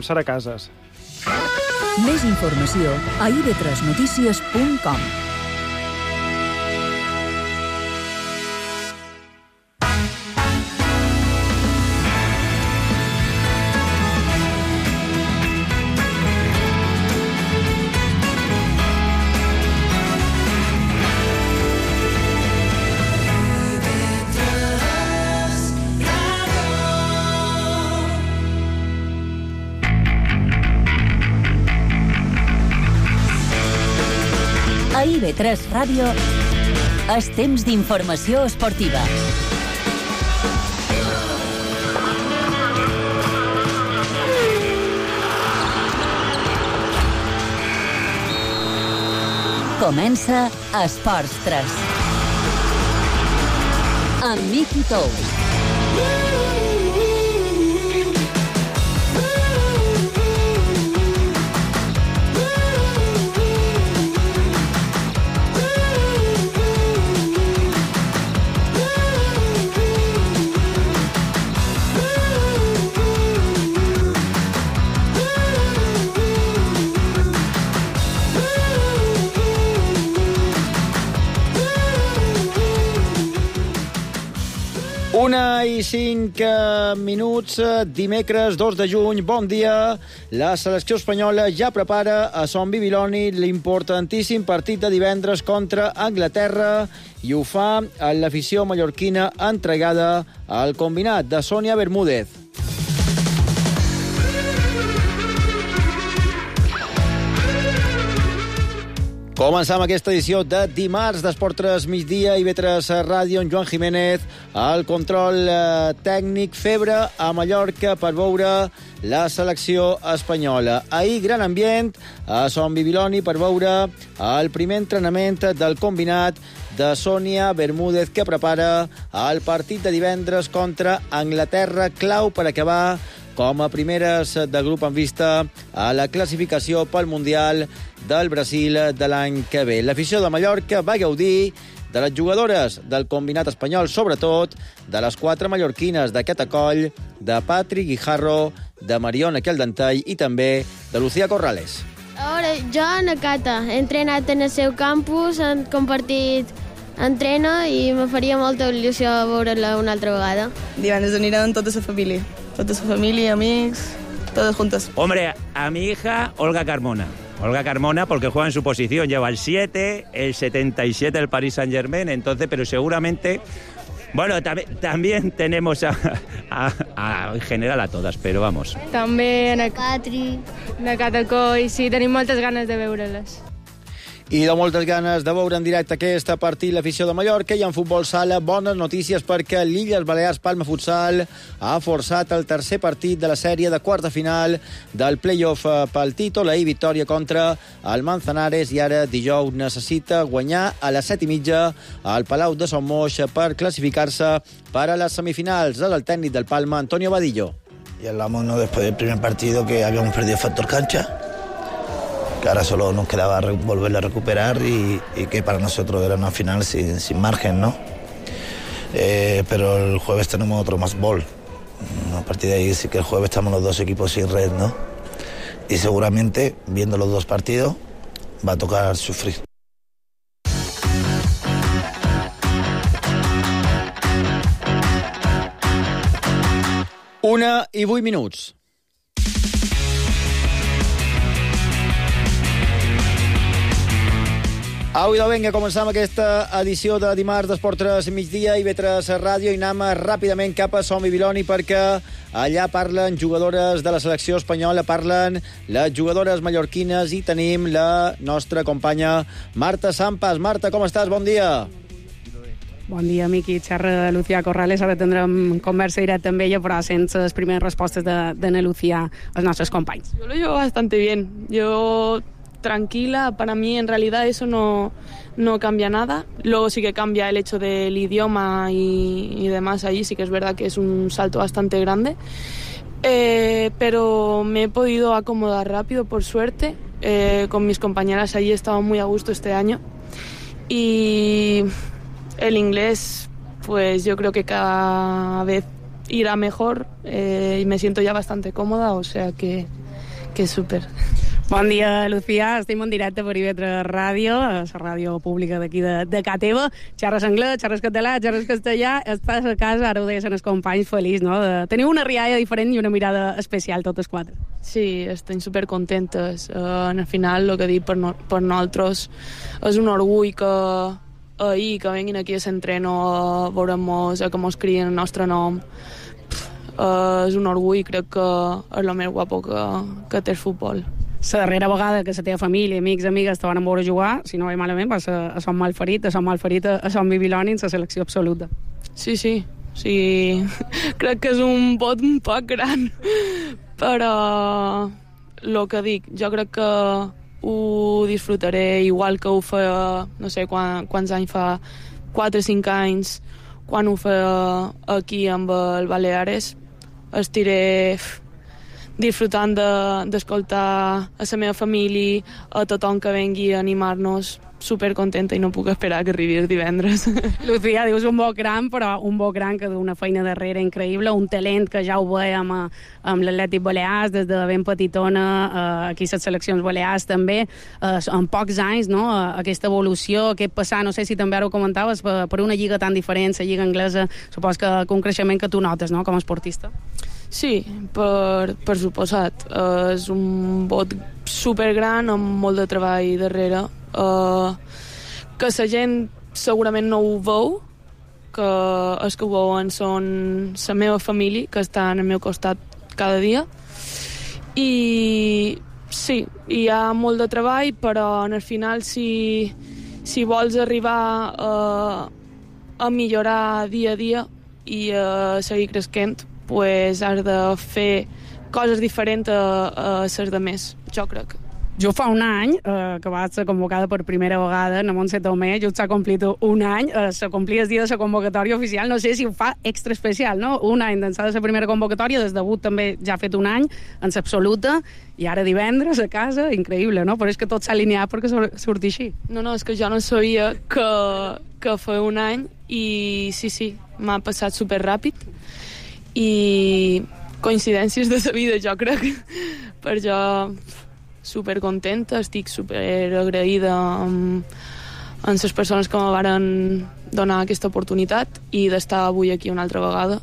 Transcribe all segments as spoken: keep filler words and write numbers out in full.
Sara Casas. Més informació a i ve tres notícies punt com. A i ve tres Ràdio, és temps d'informació esportiva. Comença Esports tres. Amb Miqui Tous. Una i cinc minuts, dimecres dos de juny, bon dia. La selecció espanyola ja prepara a Son Bibiloni l'importantíssim partit de divendres contra Anglaterra i ho fa a l'afició mallorquina entregada al combinat de Sònia Bermúdez. Començam aquesta edició de dimarts d'Esport tres migdia i ve tres Ràdio amb Joan Jiménez, el control eh, tècnic, febre a Mallorca per veure la selecció espanyola. Ahir, gran ambient a Son Bibiloni per veure el primer entrenament del combinat de Sònia Bermúdez que prepara el partit de divendres contra Anglaterra, clau per acabar com a primeres de grup en vista a la classificació pel Mundial del Brasil de l'any que ve. L'afició de Mallorca va gaudir de les jugadores del combinat espanyol, sobretot de les quatre mallorquines d'aquest acoll, de Patri Guijarro, de Mariona Queldentall i també de Lucía Corrales. Ara, jo, Nakata, he entrenat en el seu campus, hem compartit entreno i me faria molta il·lusió veure-la una altra vegada. Divendres aniran tota la família, tota la família, amics, todos juntos. Hombre, a mi hija Olga Carmona. Olga Carmona, porque juega en su posición, lleva el siete, el setenta y siete del Paris Saint-Germain, entonces, pero seguramente, bueno, tam- también tenemos a, a, a, en general a todas, pero vamos. També en Patri. Nakata Coi, sí, tenim moltes ganes de veure-les. I de moltes ganes de veure en directe aquest partit l'afició de Mallorca. I en futbol sala, bones notícies perquè l'Illes Balears Palma Futsal ha forçat el tercer partit de la sèrie de quarts de final del play-off pel títol. Ahir victòria contra el Manzanares i ara dijous necessita guanyar a les set i mitja al Palau de Son Moix per classificar-se per a les semifinals. És el tècnic del Palma, Antonio Vadillo. Y hablamos, ¿no?, después del primer partido que habíamos perdido factor cancha, que ahora solo nos quedaba re- volverla a recuperar y, y que para nosotros era una final sin, sin margen, ¿no? Eh, pero el jueves tenemos otro más bol. A partir de ahí sí que el jueves estamos los dos equipos sin red, ¿no? Y seguramente, viendo los dos partidos, va a tocar sufrir. Una i vuit minuts. Au, idò, vinga, començam aquesta edició de dimarts d'Esport tres migdia i ve tres Ràdio i anem ràpidament cap a Son Bibiloni perquè allà parlen jugadores de la selecció espanyola, parlen les jugadores mallorquines i tenim la nostra companya Marta Sampas. Marta, com estàs? Bon dia. Bon dia, Miqui. Xerra de Lucía Corrales. Ara tindrem conversa directa amb ella, però sense les primeres respostes de, de na Lucía als nostres companys. Yo lo llevo bastante bien. Yo tranquila, para mí en realidad eso no, no cambia nada. Luego sí que cambia el hecho del idioma y, y demás allí, sí que es verdad que es un salto bastante grande. Eh, pero me he podido acomodar rápido, por suerte. Eh, con mis compañeras allí he estado muy a gusto este año. Y el inglés, pues yo creo que cada vez irá mejor eh, y me siento ya bastante cómoda, o sea que que és súper. Bon dia, Lucía. Estem en directe per I V tres Ràdio, la ràdio pública d'aquí de, de ca teva. Xerres anglès, xerres català, xerres castellà. Estàs a casa, ara ho deies els companys, feliç, no? De, teniu una rialla diferent i una mirada especial, totes quatre. Sí, estem supercontentes. Uh, al final, el que dic per, no, per nosaltres és un orgull que ahir que venguin aquí a l'entreno a veure-nos, a que mos crien el nostre nom. Uh, és un orgull i crec que és el més guapo que, que té el futbol. La darrera vegada que la teva família, amics, amigues te van veure jugar, si no vaig malament, va ser a Son Malferit, a Son Malferit, a Son Bibiloni, en la selecció absoluta. Sí, sí, sí. Crec que és un vot un poc gran, però el que dic, jo crec que ho disfrutaré igual que ho feia, no sé quan, quants anys fa, quatre o cinc anys, quan ho feia aquí amb el Baleares. Estiré disfrutant d'escoltar de, a la meva família, a tothom que vengui a animar-nos, supercontenta i no puc esperar que arribi el divendres. Lucía, dius un bo gran, però un bo gran que d'una feina darrere increïble, un talent que ja ho veiem amb l'Atlètic Balears, des de ben petitona, eh, aquí a les seleccions balears també, eh, en pocs anys, no? Aquesta evolució, aquest passar, no sé si també ara ho comentaves, per, per una lliga tan diferent, la lliga anglesa, supos que, que un creixement que tu notes, no?, com a esportista. Sí, per, per suposat. Uh, és un vot supergran amb molt de treball darrere. Uh, que la gent segurament no ho veu, que els que ho veuen són la meva família, que estan al meu costat cada dia. I sí, hi ha molt de treball, però al final si, si vols arribar a, a millorar dia a dia i a seguir creixent, pues has de fer coses diferents a, a les de més, jo crec. Jo fa un any, eh, que vas ser convocada per primera vegada a Montse Tomé, just s'ha complit un any, eh, se complia el dia de la convocatòria oficial, no sé si ho fa extra especial, no? Un any d'ençà de la primera convocatòria, des debut també ja ha fet un any, en l'absoluta, i ara divendres a casa, increïble, no? Però és que tot s'ha alineat perquè surti així. No, no, és que jo no sabia que, que feia un any, i sí, sí, m'ha passat superràpid, i coincidències de la vida, jo crec. Per jo supercontenta, estic superagraïda amb, amb les persones que me varen donar aquesta oportunitat i d'estar avui aquí una altra vegada,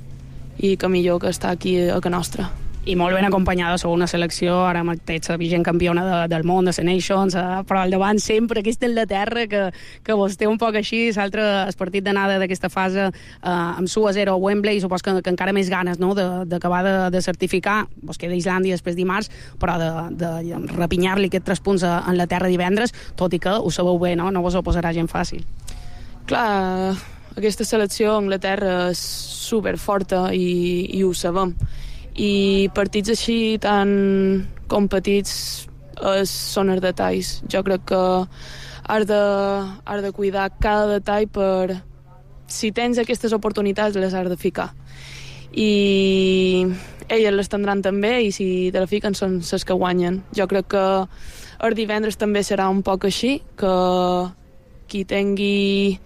i que millor que estar aquí a casa nostra. I molt ben acompanyada, sou una selecció, ara mateix la vigent campiona de, del món, de la Nations, eh, però al davant sempre aquesta Anglaterra que, que vos té un poc així, l'altre el partit d'anada d'aquesta fase eh, amb su a zero a Wembley, i supos que, que encara més ganes, no?, d'acabar de, de, de certificar, vos queda Islàndia després dimarts, però de, de rapinyar-li aquests tres punts a Anglaterra divendres, tot i que ho sabeu bé, no?, no vos ho posarà gent fàcil. Clar, aquesta selecció a Anglaterra és superforta i, i ho sabem. I partits així tan competits eh, són els detalls. Jo crec que has de, has de cuidar cada detall per, si tens aquestes oportunitats, les has de ficar. I elles les tindran també, i si te la fiquen són les que guanyen. Jo crec que el divendres també serà un poc així, que qui tingui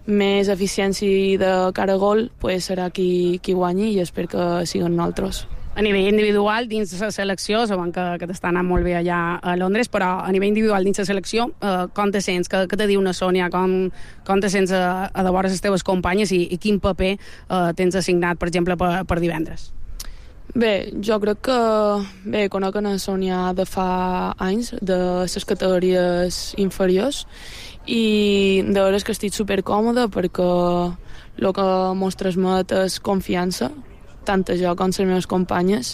més eficiència de cara a gol, pues serà qui, qui guanyi, i espero que siguin nosaltres. A nivell individual, dins de la selecció, sabem que, que t'està anant molt bé allà a Londres, però a nivell individual dins de la selecció, eh, com te sents? Què, què te diu una Sònia? Com, com te sents a, a de vora les teves companyes, i, i quin paper eh, tens assignat, per exemple, per, per divendres? Bé, jo crec que... Bé, conec a Sònia de fa anys, de les categories inferiors, i de veres que estic supercòmoda perquè el que mos transmet és confiança, tant a jo com a les meves companyes,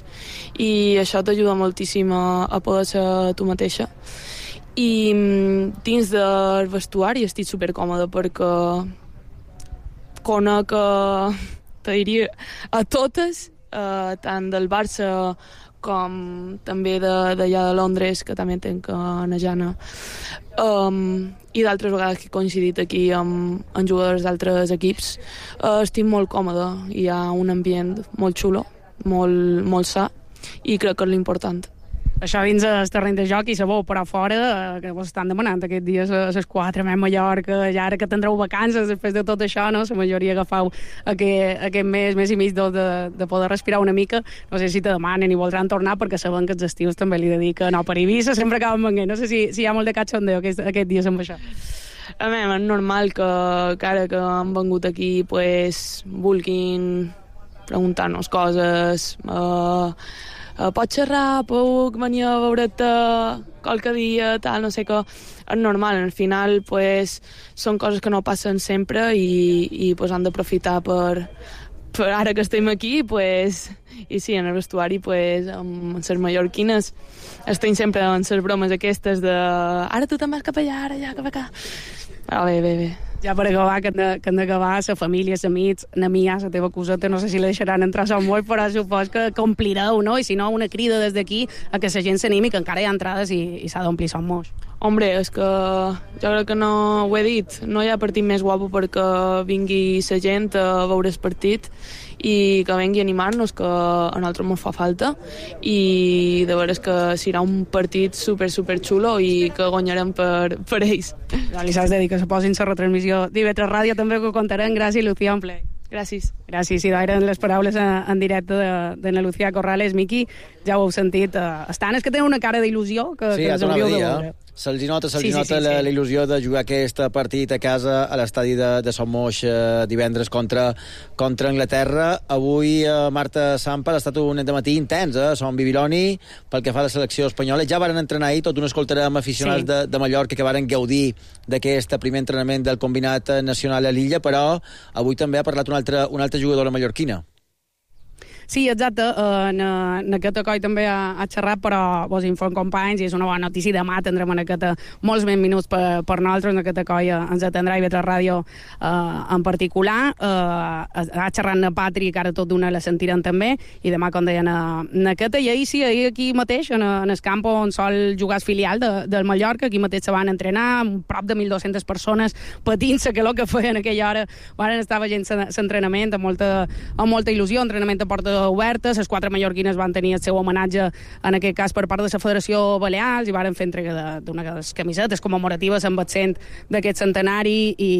i això t'ajuda moltíssim a, a poder ser tu mateixa. I dins del vestuari estic supercòmoda perquè conec, te diria, a totes, eh, tant del Barça com també d'allà de Londres, que també tenc a Jana, um, i d'altres vegades que he coincidit aquí amb, amb jugadors d'altres equips. Uh, estic molt còmoda, hi ha un ambient molt xulo, molt, molt sa, i crec que és l'important. això dins el terreny de joc i sabó, però fora, eh, que vos estan demanant aquests dies a les quatre, a Mallorca, ja ara que tindreu vacances després de tot això, no? La majoria agafau aquest, aquest mes, mes i mig de, de poder respirar una mica. No sé si te demanen i voldran tornar, perquè saben que els estius també li dediquen, no, per Eivissa sempre acaben venint. No sé si, si hi ha molt de cachondeo aquest, aquest dies amb això. A mi és normal que, que ara que han vengut aquí pues, vulguin preguntar-nos coses. Uh, uh, pots xerrar? Puc venir a veure't qualque dia? Tal, no sé què. És normal, al final pues, són coses que no passen sempre i, i pues, han d'aprofitar per, per ara que estem aquí, pues, i sí, en el vestuari, pues, amb les mallorquines, estem sempre en les bromes aquestes de ara tu te'n vas cap allà, ara ja, cap acá. Ah, bé, bé, bé. Ja per acabar, que han d'acabar la família, els amics, na mia, la teva coseta, no sé si la deixaran entrar a Sant Moll, però supos que complireu, no? I si no, una crida des d'aquí a que la gent s'animi, que encara hi ha entrades i, i s'ha d'omplir Sant Moll. Hombre, és que jo crec que no ho he dit, no hi ha partit més guapo perquè vingui la gent a veure el partit i que vengui a animar-nos, que a nosaltres ens fa falta, i de veres que serà un partit super, super xulo i que guanyarem per, per ells. Ja li saps de dir que se posin la retransmissió d'I V tres Ràdio, també que ho contarem. Gràcies, Lucía, un ple. Gràcies. Gràcies, i eren les paraules en directe de, de na Lucía Corrales. Miqui, ja ho heu sentit, uh, estan, és que tenen una cara d'il·lusió que, sí, que les hauríeu de veure. Se'ls nota, se'ls sí, sí, nota sí, la, sí. la il·lusió de jugar aquest partit a casa a l'estadi de, de Sant Moix eh, divendres contra, contra Anglaterra. Avui eh, Marta Samper ha estat un dematí intens, eh? Som Bibiloni, pel que fa a la selecció espanyola. Ja varen entrenar ahir, tot un escoltarem aficionats sí. de, de Mallorca que varen gaudir d'aquest primer entrenament del combinat nacional a l'illa, però avui també ha parlat una altra, una altra jugadora mallorquina. Sí, exacte, en, en aquest coi també ha, ha xerrat, però vos inform companys, i és una bona notícia. Demà tindrem en aquest molts més minuts per, per nosaltres, en aquest coi ens atendrà I V tres Ràdio eh, en particular. Eh, ha xerrat en Patri, que ara tot d'una la sentirem també, i demà, com deien, en aquest, i ahir sí, ahir aquí mateix, en, en el camp on sol jugar el filial de, del Mallorca, aquí mateix se van entrenar, prop de mil dues-centes persones patint-se, que el que feien en aquella hora van estar veient l'entrenament amb molta, amb molta il·lusió, entrenament a porta obertes. Les quatre mallorquines van tenir el seu homenatge, en aquest cas per part de la Federació Balears, i varen fer entrega d'una de les camisetes commemoratives amb accent d'aquest centenari, i,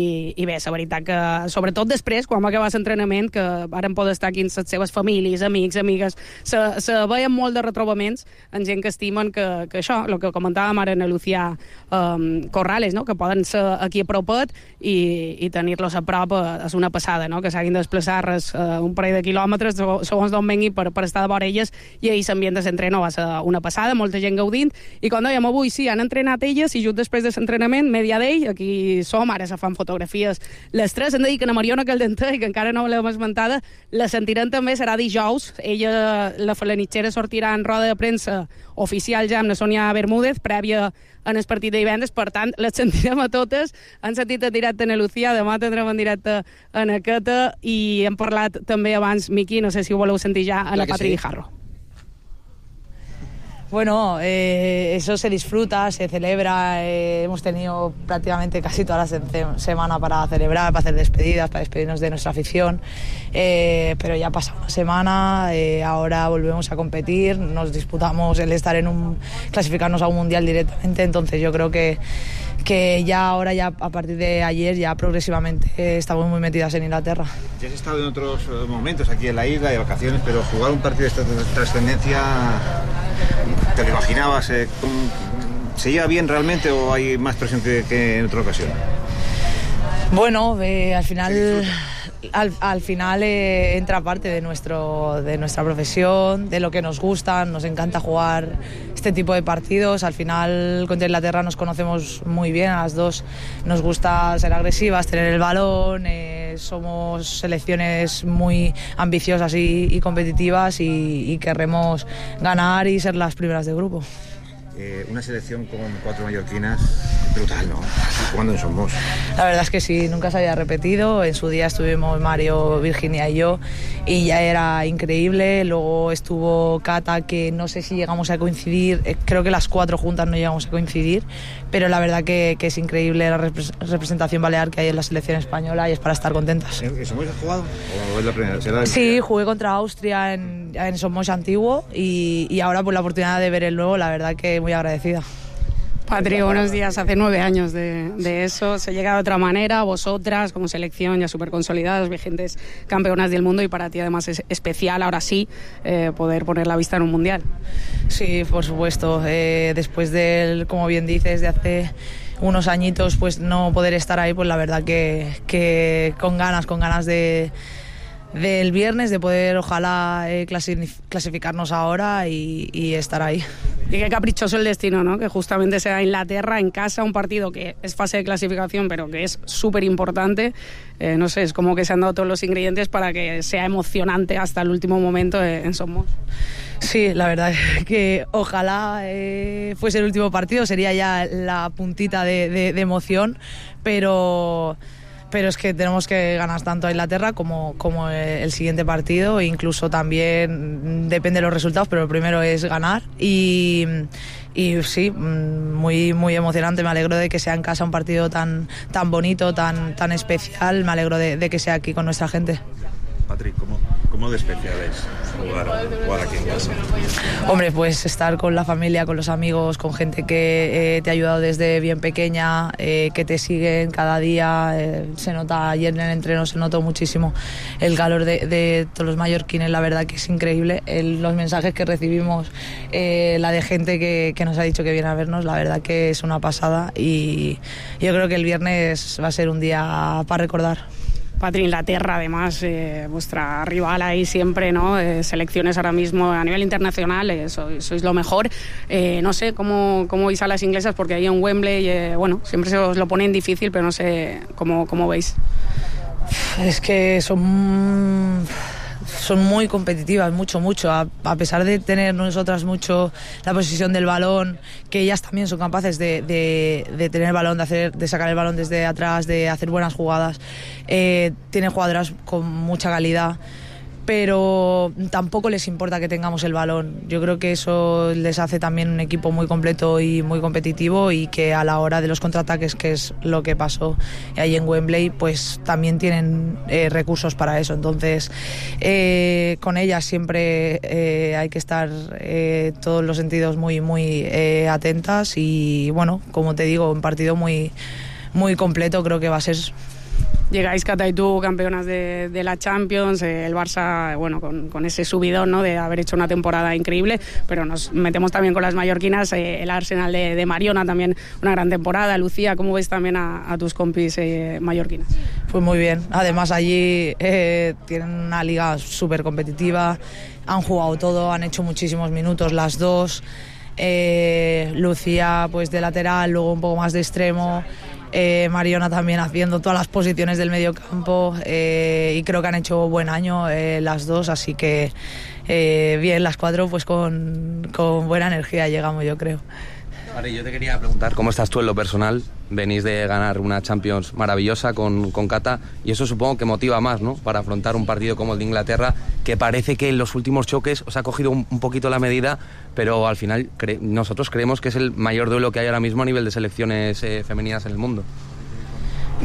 i bé, la veritat que sobretot després, quan va acabar l'entrenament, que varen poder estar aquí amb les seves famílies, amics, amigues, se, se veien molt de retrobaments en gent que estimen que, que això, el que comentàvem ara en Lucía um, Corrales, no? Que poden ser aquí a propet i, i tenir-los a prop és una passada, no? Que s'hagin de desplaçar res, uh, un parell de quilòmetres segons d'on vengui per, per estar de vora elles, i ahir l'ambient de l'entreno va ser una passada, molta gent gaudint, i com dèiem avui, sí, han entrenat elles, i just després de l'entrenament, media d'ell, aquí som, ara se fan fotografies les tres. Hem de dir que na Mariona Caldentà, que encara no l'hem esmentada, la sentirem també, serà dijous. Ella, la falanitxera, sortirà en roda de premsa oficial ja amb la Sònia Bermúdez, prèvia en el partit de divendres, per tant, les sentirem a totes. Han sentit en directe en Lucía, demà tindrem en directe en aquesta, i hem parlat també abans, Miqui, no sé si ho voleu sentir ja, a la Patri Guijarro. Bueno, eh, eso se disfruta, se celebra, eh, hemos tenido prácticamente casi toda la se- semana para celebrar, para hacer despedidas, para despedirnos de nuestra afición, eh, pero ya ha pasado una semana, eh, ahora volvemos a competir, nos disputamos el estar en un, clasificarnos a un mundial directamente, entonces yo creo que que ya ahora, ya a partir de ayer, ya progresivamente eh, estamos muy metidas en Inglaterra. Ya has estado en otros eh, momentos aquí en la isla, de vacaciones, pero jugar un partido de esta trascendencia, ¿te lo imaginabas? Eh, con, ¿Se lleva bien realmente o hay más presión que, que en otra ocasión? Bueno, eh, al final... Al, al final eh, entra parte de, nuestro, de nuestra profesión, de lo que nos gusta, nos encanta jugar este tipo de partidos. Al final contra Inglaterra nos conocemos muy bien, a las dos nos gusta ser agresivas, tener el balón, eh, somos selecciones muy ambiciosas y, y competitivas, y, y querremos ganar y ser las primeras de grupo. Eh, una selección con cuatro mallorquinas brutal, ¿no? Jugando en Somos. La verdad es que sí, nunca se había repetido. En su día estuvimos Mario, Virginia y yo y ya era increíble. Luego estuvo Cata, que no sé si llegamos a coincidir, creo que las cuatro juntas no llegamos a coincidir, pero la verdad que, que es increíble la representación balear que hay en la selección española y es para estar contentas. ¿En Somos has jugado? ¿O es la primera? ¿Será la sí, jugué contra Austria en, en Somos antiguo y, y ahora pues la oportunidad de ver el nuevo, la verdad que muy agradecida. Patri, buenos días. Hace nueve años de, de eso. Se llega de otra manera. Vosotras, como selección ya súper consolidadas, vigentes campeonas del mundo, y para ti además es especial, ahora sí, eh, poder poner la vista en un mundial. Sí, por supuesto. Eh, después del, como bien dices, de hace unos añitos, pues no poder estar ahí, pues la verdad que, que con ganas, con ganas de... del viernes, de poder ojalá eh, clasificarnos ahora y, y estar ahí. Y qué caprichoso el destino, ¿no? Que justamente sea Inglaterra en casa, un partido que es fase de clasificación pero que es súper importante. Eh, no sé, es como que se han dado todos los ingredientes para que sea emocionante hasta el último momento en Somos. Sí, la verdad es que ojalá eh, fuese el último partido, sería ya la puntita de, de, de emoción, pero... pero es que tenemos que ganar tanto a Inglaterra como, como el siguiente partido, e incluso también depende de los resultados, pero lo primero es ganar y, y sí, muy, muy emocionante. Me alegro de que sea en casa un partido tan, tan bonito, tan, tan especial. Me alegro de, de que sea aquí con nuestra gente. Patrick, ¿cómo, cómo de especial es jugar, jugar aquí en casa? Hombre, pues estar con la familia, con los amigos, con gente que eh, te ha ayudado desde bien pequeña, eh, que te siguen cada día. Eh, se nota, ayer en el entreno se notó muchísimo el calor de, de todos los mallorquines, la verdad que es increíble. El, los mensajes que recibimos, eh, la de gente que, que nos ha dicho que viene a vernos, la verdad que es una pasada, y yo creo que el viernes va a ser un día para recordar. Patri, Inglaterra, además, eh, vuestra rival ahí siempre, ¿no? Eh, selecciones ahora mismo a nivel internacional, eh, sois, sois lo mejor. Eh, no sé cómo, cómo veis a las inglesas, porque ahí en Wembley, eh, bueno, siempre se os lo ponen difícil, pero no sé cómo, cómo veis. Es que son... son muy competitivas, mucho, mucho, a, a pesar de tener nosotras mucho la posesión del balón, que ellas también son capaces de, de, de tener el balón, de, hacer, de sacar el balón desde atrás, de hacer buenas jugadas. Eh, tienen jugadoras con mucha calidad, pero tampoco les importa que tengamos el balón. Yo creo que eso les hace también un equipo muy completo y muy competitivo, y que a la hora de los contraataques, que es lo que pasó ahí en Wembley, pues también tienen eh, recursos para eso. Entonces, eh, con ellas siempre eh, hay que estar eh, todos los sentidos muy, muy eh, atentas, y bueno, como te digo, un partido muy, muy completo creo que va a ser. Llegáis, Cata y tú, campeonas de, de la Champions, eh, el Barça, bueno, con, con ese subidón, ¿no?, de haber hecho una temporada increíble, pero nos metemos también con las mallorquinas, eh, el Arsenal de, de Mariona también una gran temporada. Lucía, ¿cómo ves también a, a tus compis eh, mallorquinas? Pues muy bien, además allí eh, tienen una liga súper competitiva, han jugado todo, han hecho muchísimos minutos las dos. eh, Lucía pues de lateral, luego un poco más de extremo. Eh, Mariona también haciendo todas las posiciones del medio campo, eh, y creo que han hecho buen año eh, las dos, así que eh, bien, las cuatro pues con, con buena energía llegamos, yo creo. Vale, yo te quería preguntar cómo estás tú en lo personal. Venís de ganar una Champions maravillosa con, con Cata, y eso supongo que motiva más, ¿no?, para afrontar un partido como el de Inglaterra, que parece que en los últimos choques os ha cogido un, un poquito la medida, pero al final cre- nosotros creemos que es el mayor duelo que hay ahora mismo a nivel de selecciones eh, femeninas en el mundo.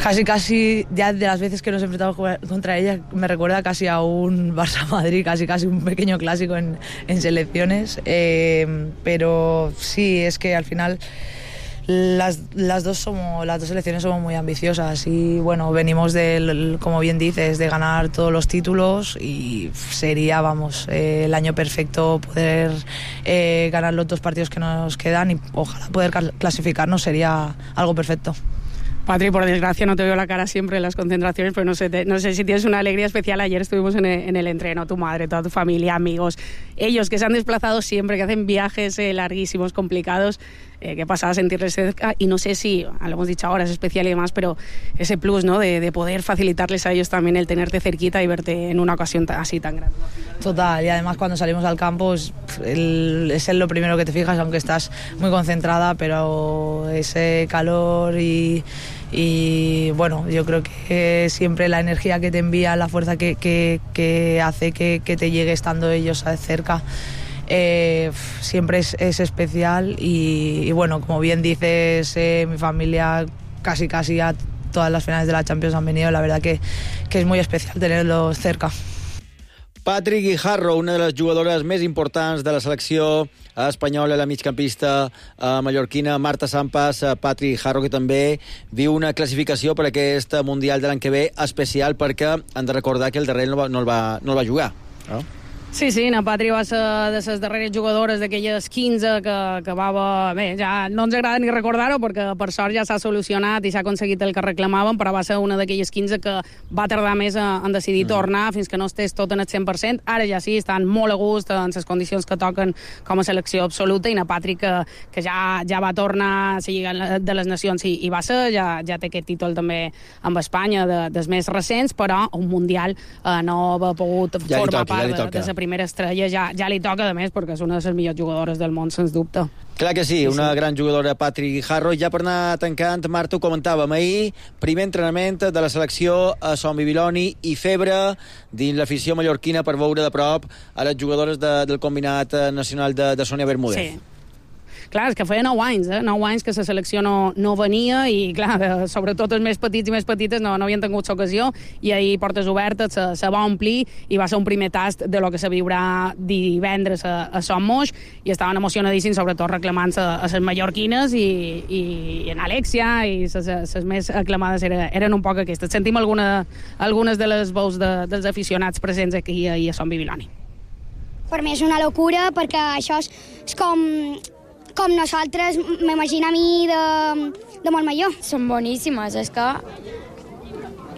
Casi, casi, ya de las veces que nos enfrentamos contra ella, me recuerda casi a un Barça-Madrid, casi, casi un pequeño clásico en, en selecciones. Eh, pero sí, es que al final las, las, dos somos, las dos selecciones somos muy ambiciosas, y bueno, venimos del, como bien dices, de ganar todos los títulos, y sería, vamos, eh, el año perfecto poder eh, ganar los dos partidos que nos quedan, y ojalá poder clasificarnos, sería algo perfecto. Patri, por desgracia no te veo la cara siempre en las concentraciones, pero no sé, te, no sé si tienes una alegría especial. Ayer estuvimos en el, en el entreno, tu madre, toda tu familia, amigos, ellos que se han desplazado siempre, que hacen viajes eh, larguísimos, complicados. Eh, qué pasada sentirles cerca, y no sé si, lo hemos dicho ahora, es especial y demás, pero ese plus, ¿no?, de, de poder facilitarles a ellos también el tenerte cerquita y verte en una ocasión así tan grande. Total, y además cuando salimos al campo es, el, es en lo primero que te fijas, aunque estás muy concentrada, pero ese calor y, y bueno, yo creo que siempre la energía que te envía, la fuerza que, que, que hace que, que te llegue estando ellos cerca, Eh, siempre es, es especial y, y bueno, como bien dices, eh, mi familia casi casi a todas las finales de la Champions han venido, la verdad que, que es muy especial tenerlos cerca. Patri Guijarro, una de les jugadores més importants de la selecció espanyola, la migcampista eh, mallorquina, Marta Sampas. eh, Patri Guijarro, que també viu una classificació per aquest Mundial de l'any que ve especial, perquè han de recordar que el darrer no, va, no, el, va, no el va jugar, no? Sí, sí, na Patri va ser de les darreres jugadores d'aquelles quinze que, que va... Bé, ja no ens agrada ni recordar-ho perquè per sort ja s'ha solucionat i s'ha aconseguit el que reclamàvem, però va ser una d'aquelles quinze que va tardar més en decidir mm. tornar fins que no estés tot en el cent per cent. Ara ja sí, estan molt a gust en les condicions que toquen com a selecció absoluta, i na Patri que, que ja, ja va tornar a seguir de les nacions i, i va ser, ja, ja té aquest títol també amb Espanya de, dels més recents, però un Mundial eh, no va pogut ja formar toca, part ja de, de la primera estrella, ja, ja li toca, a més, perquè és una de les millors jugadores del món, sens dubte. Clar que sí, una sí. gran jugadora, Patri Guijarro. Ja per anar tancant, Marta, ho comentàvem ahir, primer entrenament de la selecció a Son Bibiloni i febre dins l'afició mallorquina per veure de prop a les jugadores de, del combinat nacional de, de Sònia Bermúdez. Sí. Clar, és que feia nou anys, eh? nou anys que la selecció no, no venia i, clar, sobretot els més petits i més petites no, no havien tingut l'ocasió, i ahir portes obertes se, se va omplir i va ser un primer tast de lo que se viurà divendres a, a Son Moix, i estaven emocionadíssims, sobretot reclamant-se a les mallorquines, i, i, i en Alexia, i les més aclamades eren, eren un poc aquestes. Sentim alguna, algunes de les veus de, dels aficionats presents aquí a, a Son Bibiloni. Per mi és una locura, perquè això és, és com... com nosaltres, m'imagino a mi de, de molt major. Són boníssimes, és que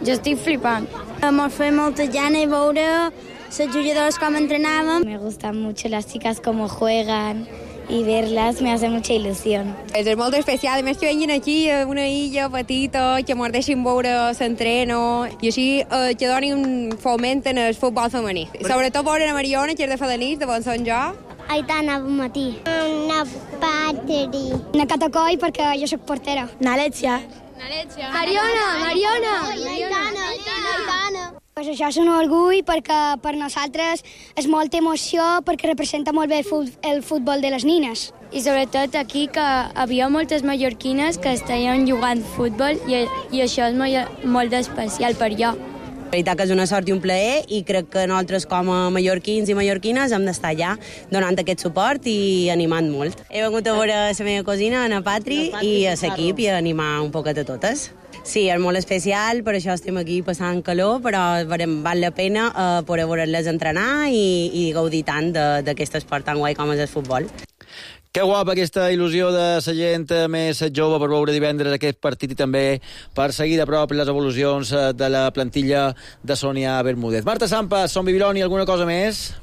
jo estic flipant. M'ha fet molta gana de veure les jugadores com entrenaven. Me gustan mucho las chicas como juegan y verlas me hace mucha ilusión. És molt especial, a més que venguin aquí a una illa petita, que ens deixin veure l'entreno i així eh, que donin foment en el futbol femení. Sobretot veure a Mariona, que és de Fadanís, de Bonson jo. Aitana, bon matí. Una Patri. Una Catacoi, perquè jo soc portera. Una Alexia. Mariona, Mariona. Aitana, Aitana. Pues això és un orgull perquè per nosaltres és molta emoció, perquè representa molt bé el, fut el futbol de les nines. I sobretot aquí que havia moltes mallorquines que estaven jugant futbol i, i això és molt, molt especial per jo. La veritat que és una sort i un plaer, i crec que nosaltres com a mallorquins i mallorquines hem d'estar allà donant aquest suport i animant molt. He vengut a veure la meva cosina, Ana Patri, i a l'equip, i a animar un poquet a totes. Sí, és molt especial, per això estem aquí passant calor, però val la pena eh, poder veure-les entrenar i, i gaudir tant d'aquest esport tan guai com és el futbol. Que guapa aquesta il·lusió de la gent més jove per veure divendres aquest partit i també per seguir de prop les evolucions de la plantilla de Sònia Bermúdez. Marta Sampas, Son Bibiloni, alguna cosa més?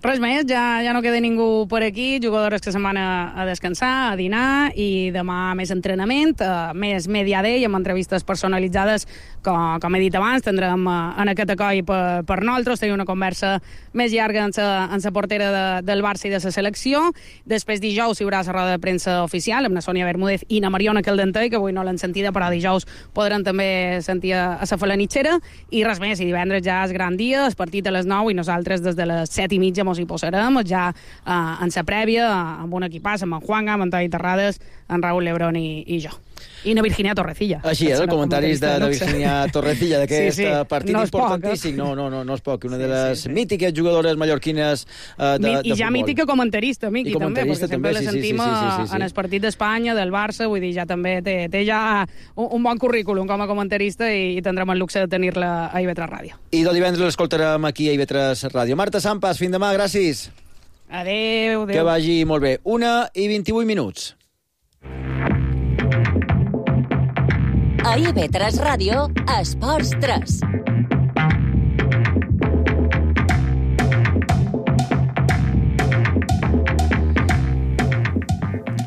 Res més, ja, ja no queda ningú per aquí, jugadores que se'n van a, a descansar, a dinar, i demà més entrenament, uh, més Media Day, amb entrevistes personalitzades, com, com he dit abans, tindrem uh, en aquest acoi per, per nosaltres, tenir una conversa més llarga amb la portera de, del Barça i de la selecció. Després dijous hi haurà la roda de premsa oficial amb la Sònia Bermúdez i na Mariona Caldentei, que avui no l'han sentida, però dijous podran també sentir a, a la falanitxera, i res més, i divendres ja és gran dia, el partit a les nou, i nosaltres des de les set i mitja hi posarem ja eh, en la prèvia amb un equipàs, amb en Juanga, amb en Toni Terrades, en Raúl Lebrón i, i jo. I na Virginia Torrecilla. Així és, el comentaris de, de Virginia Torrecilla d'aquest sí, sí. partit no importantíssim. No, no, no, no és poc. Una sí, de les sí, sí. mítiques jugadores mallorquines uh, de, de I ja futbol. mítica comentarista, Miqui, també, perquè sempre la sí, sentim sí, sí, sí, sí, sí. en el partit d'Espanya, del Barça, vull dir, ja també té, té ja un, un bon currículum com a comentarista, i, i tindrem el luxe de tenir-la a I V tres Ràdio. I del divendres l'escoltarem aquí a I V tres Ràdio. Marta Sampas, fins demà, gràcies. Adéu, adéu. Que vagi molt bé. Una i vint-i-vuit minuts. A I V tres Ràdio, Esports tres.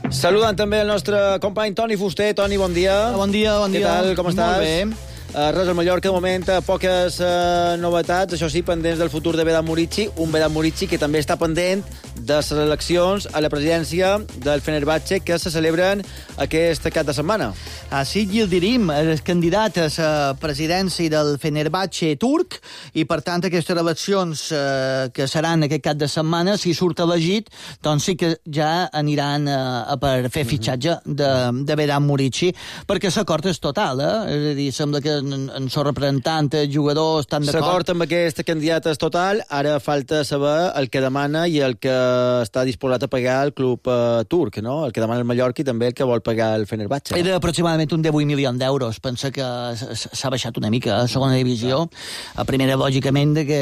Saludant també el nostre company Toni Fuster. Toni, bon dia. Bon dia, bon dia. Què tal, com estàs? Molt bé. Uh, res, al Mallorca, de moment, poques uh, novetats, això sí, pendents del futur de Vedat Murici, un Vedat Murici que també està pendent de les eleccions a la presidència del Fenerbahçe que se celebren aquest cap de setmana. Així Yildirim és candidat a la presidència del Fenerbahçe turc i, per tant, aquestes eleccions eh, que seran aquest cap de setmana, si surt elegit, doncs sí que ja aniran eh, per fer fitxatge de, de Vedat Murici, perquè l'acord és total, eh? És a dir, sembla que en, en el representant, el jugador, estan d'acord. L'acord amb aquest candidat és total, ara falta saber el que demana i el que està disposat a pagar el club eh, turc, no? El que demana el Mallorca i també el que vol pagar el Fenerbahçe. Era aproximadament un divuit milions d'euros. Pensa que s'ha baixat una mica a segona divisió. A primera, lògicament, que,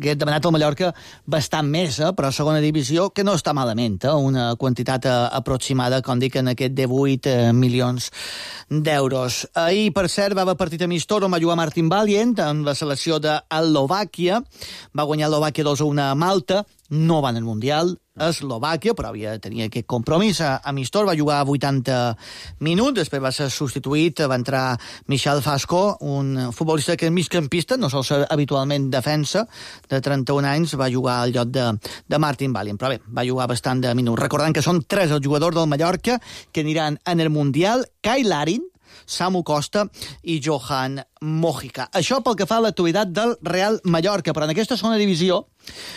que he demanat al Mallorca bastant més, eh? Però a segona divisió, que no està malament, eh? Una quantitat aproximada, com dic, en aquest divuit milions d'euros. Ahir, per cert, va haver partit amistós on va jugar Martin Valient en la selecció d'Eslovàquia. Va guanyar Eslovàquia dos a una a Malta. No va en el Mundial a Eslovàquia, però havia de tenir aquest compromís amistós. Va jugar vuitanta minuts, després va ser substituït, va entrar Michal Fasco, un futbolista que és migcampista, no sol ser habitualment defensa, de trenta-un anys, va jugar al lloc de, de Martin Valient, però bé, va jugar bastant de minuts. Recordant que són tres els jugadors del Mallorca que aniran en el Mundial: Kai Larin, Samu Costa i Johan Mojica. Això pel que fa a l'actualitat del Real Mallorca, però en aquesta segona divisió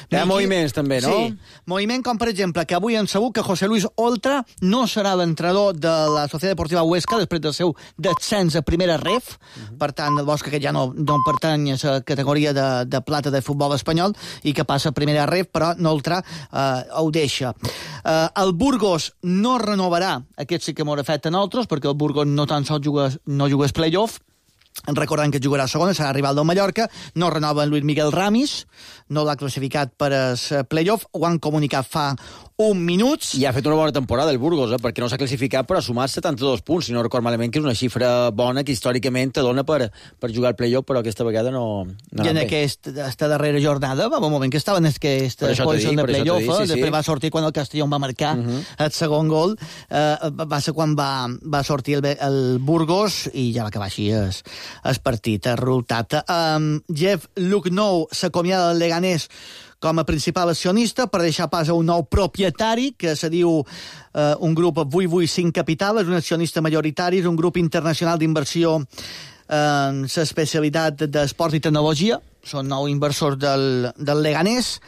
hi ha moviments també, no? Sí, moviment com, per exemple, que avui hem sabut que José Luis Oltra no serà l'entrenador de la Societat Deportiva Huesca després del seu descens a primera ref. Uh-huh. Per tant, el Bosca, que ja no, no pertany a la categoria de, de plata de futbol espanyol i que passa a primera ref, però Oltra eh, ho deixa. Eh, el Burgos no renovarà, aquest sí que m'ho afecta a nosaltres, perquè el Burgos no tan sols juga, no juga els play-off, recordant que jugarà a segona, serà rival del Mallorca, no renova Luis Miguel Ramis, no l'ha classificat per al playoff, ho han comunicat fa un minut. I ha fet una bona temporada el Burgos, eh? Perquè no s'ha classificat, però ha sumat setanta-dos punts, si no record malament, que és una xifra bona que històricament te dona per, per jugar al playoff, però aquesta vegada no... no I en aquesta darrera jornada va un moment que estaven en aquesta posició de playoff, sí, sí. Després va sortir quan el Castellón va marcar uh -huh. el segon gol, eh, va ser quan va, va sortir el, el Burgos i ja va acabar així el, el partit, el resultat. Um, Jeff Lucknow s'acomiada del Leganés com a principal accionista per deixar pas a un nou propietari que se diu eh, un grup vuit vuit cinc Capital, és un accionista majoritari, és un grup internacional d'inversió en l'especialitat d'esport i tecnologia, són nou inversors del, del Leganés,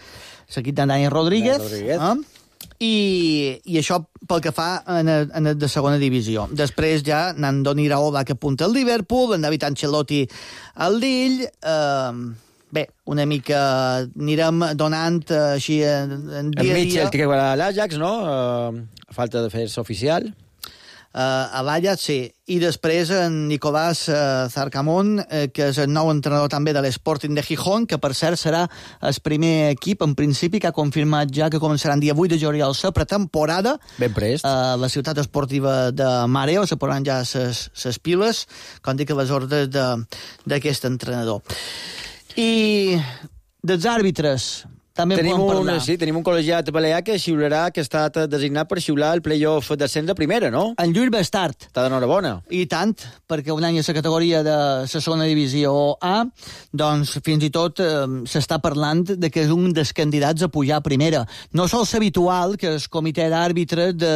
seguit de Dani Rodríguez, Rodríguez. Eh? I, i això pel que fa en el, en el de segona divisió. Després ja Nandoni Iraola, que apunta al Liverpool, en David Ancelotti al Lille. Eh, bé, una mica anirem donant així en, en dia a dia. En Mitchell, que va a l'Ajax, no? Uh, a falta de fer-se oficial. Uh, a l'Ajax, sí. I després en Nicolás uh, Zarcamón, uh, que és el nou entrenador també de l'Sporting de Gijón, que per cert serà el primer equip, en principi, que ha confirmat ja que començarà el dia vuit de juliol la pretemporada. Ben prest. Uh, la ciutat esportiva de Mareo, se posaran ja les piles, com dic, a les ordres d'aquest entrenador. I dels àrbitres també tenim podem un, parlar. sí, tenim un col·legiat balear que xiularà, que ha estat designat per xiular el play-off d'ascens de primera, no? En Lluís Bestart. Està d'enhorabona. I tant, perquè un any a la categoria de la segona divisió A, doncs fins i tot eh, s'està parlant de que és un dels candidats a pujar a primera. No sol ser habitual que el comitè d'àrbitres de,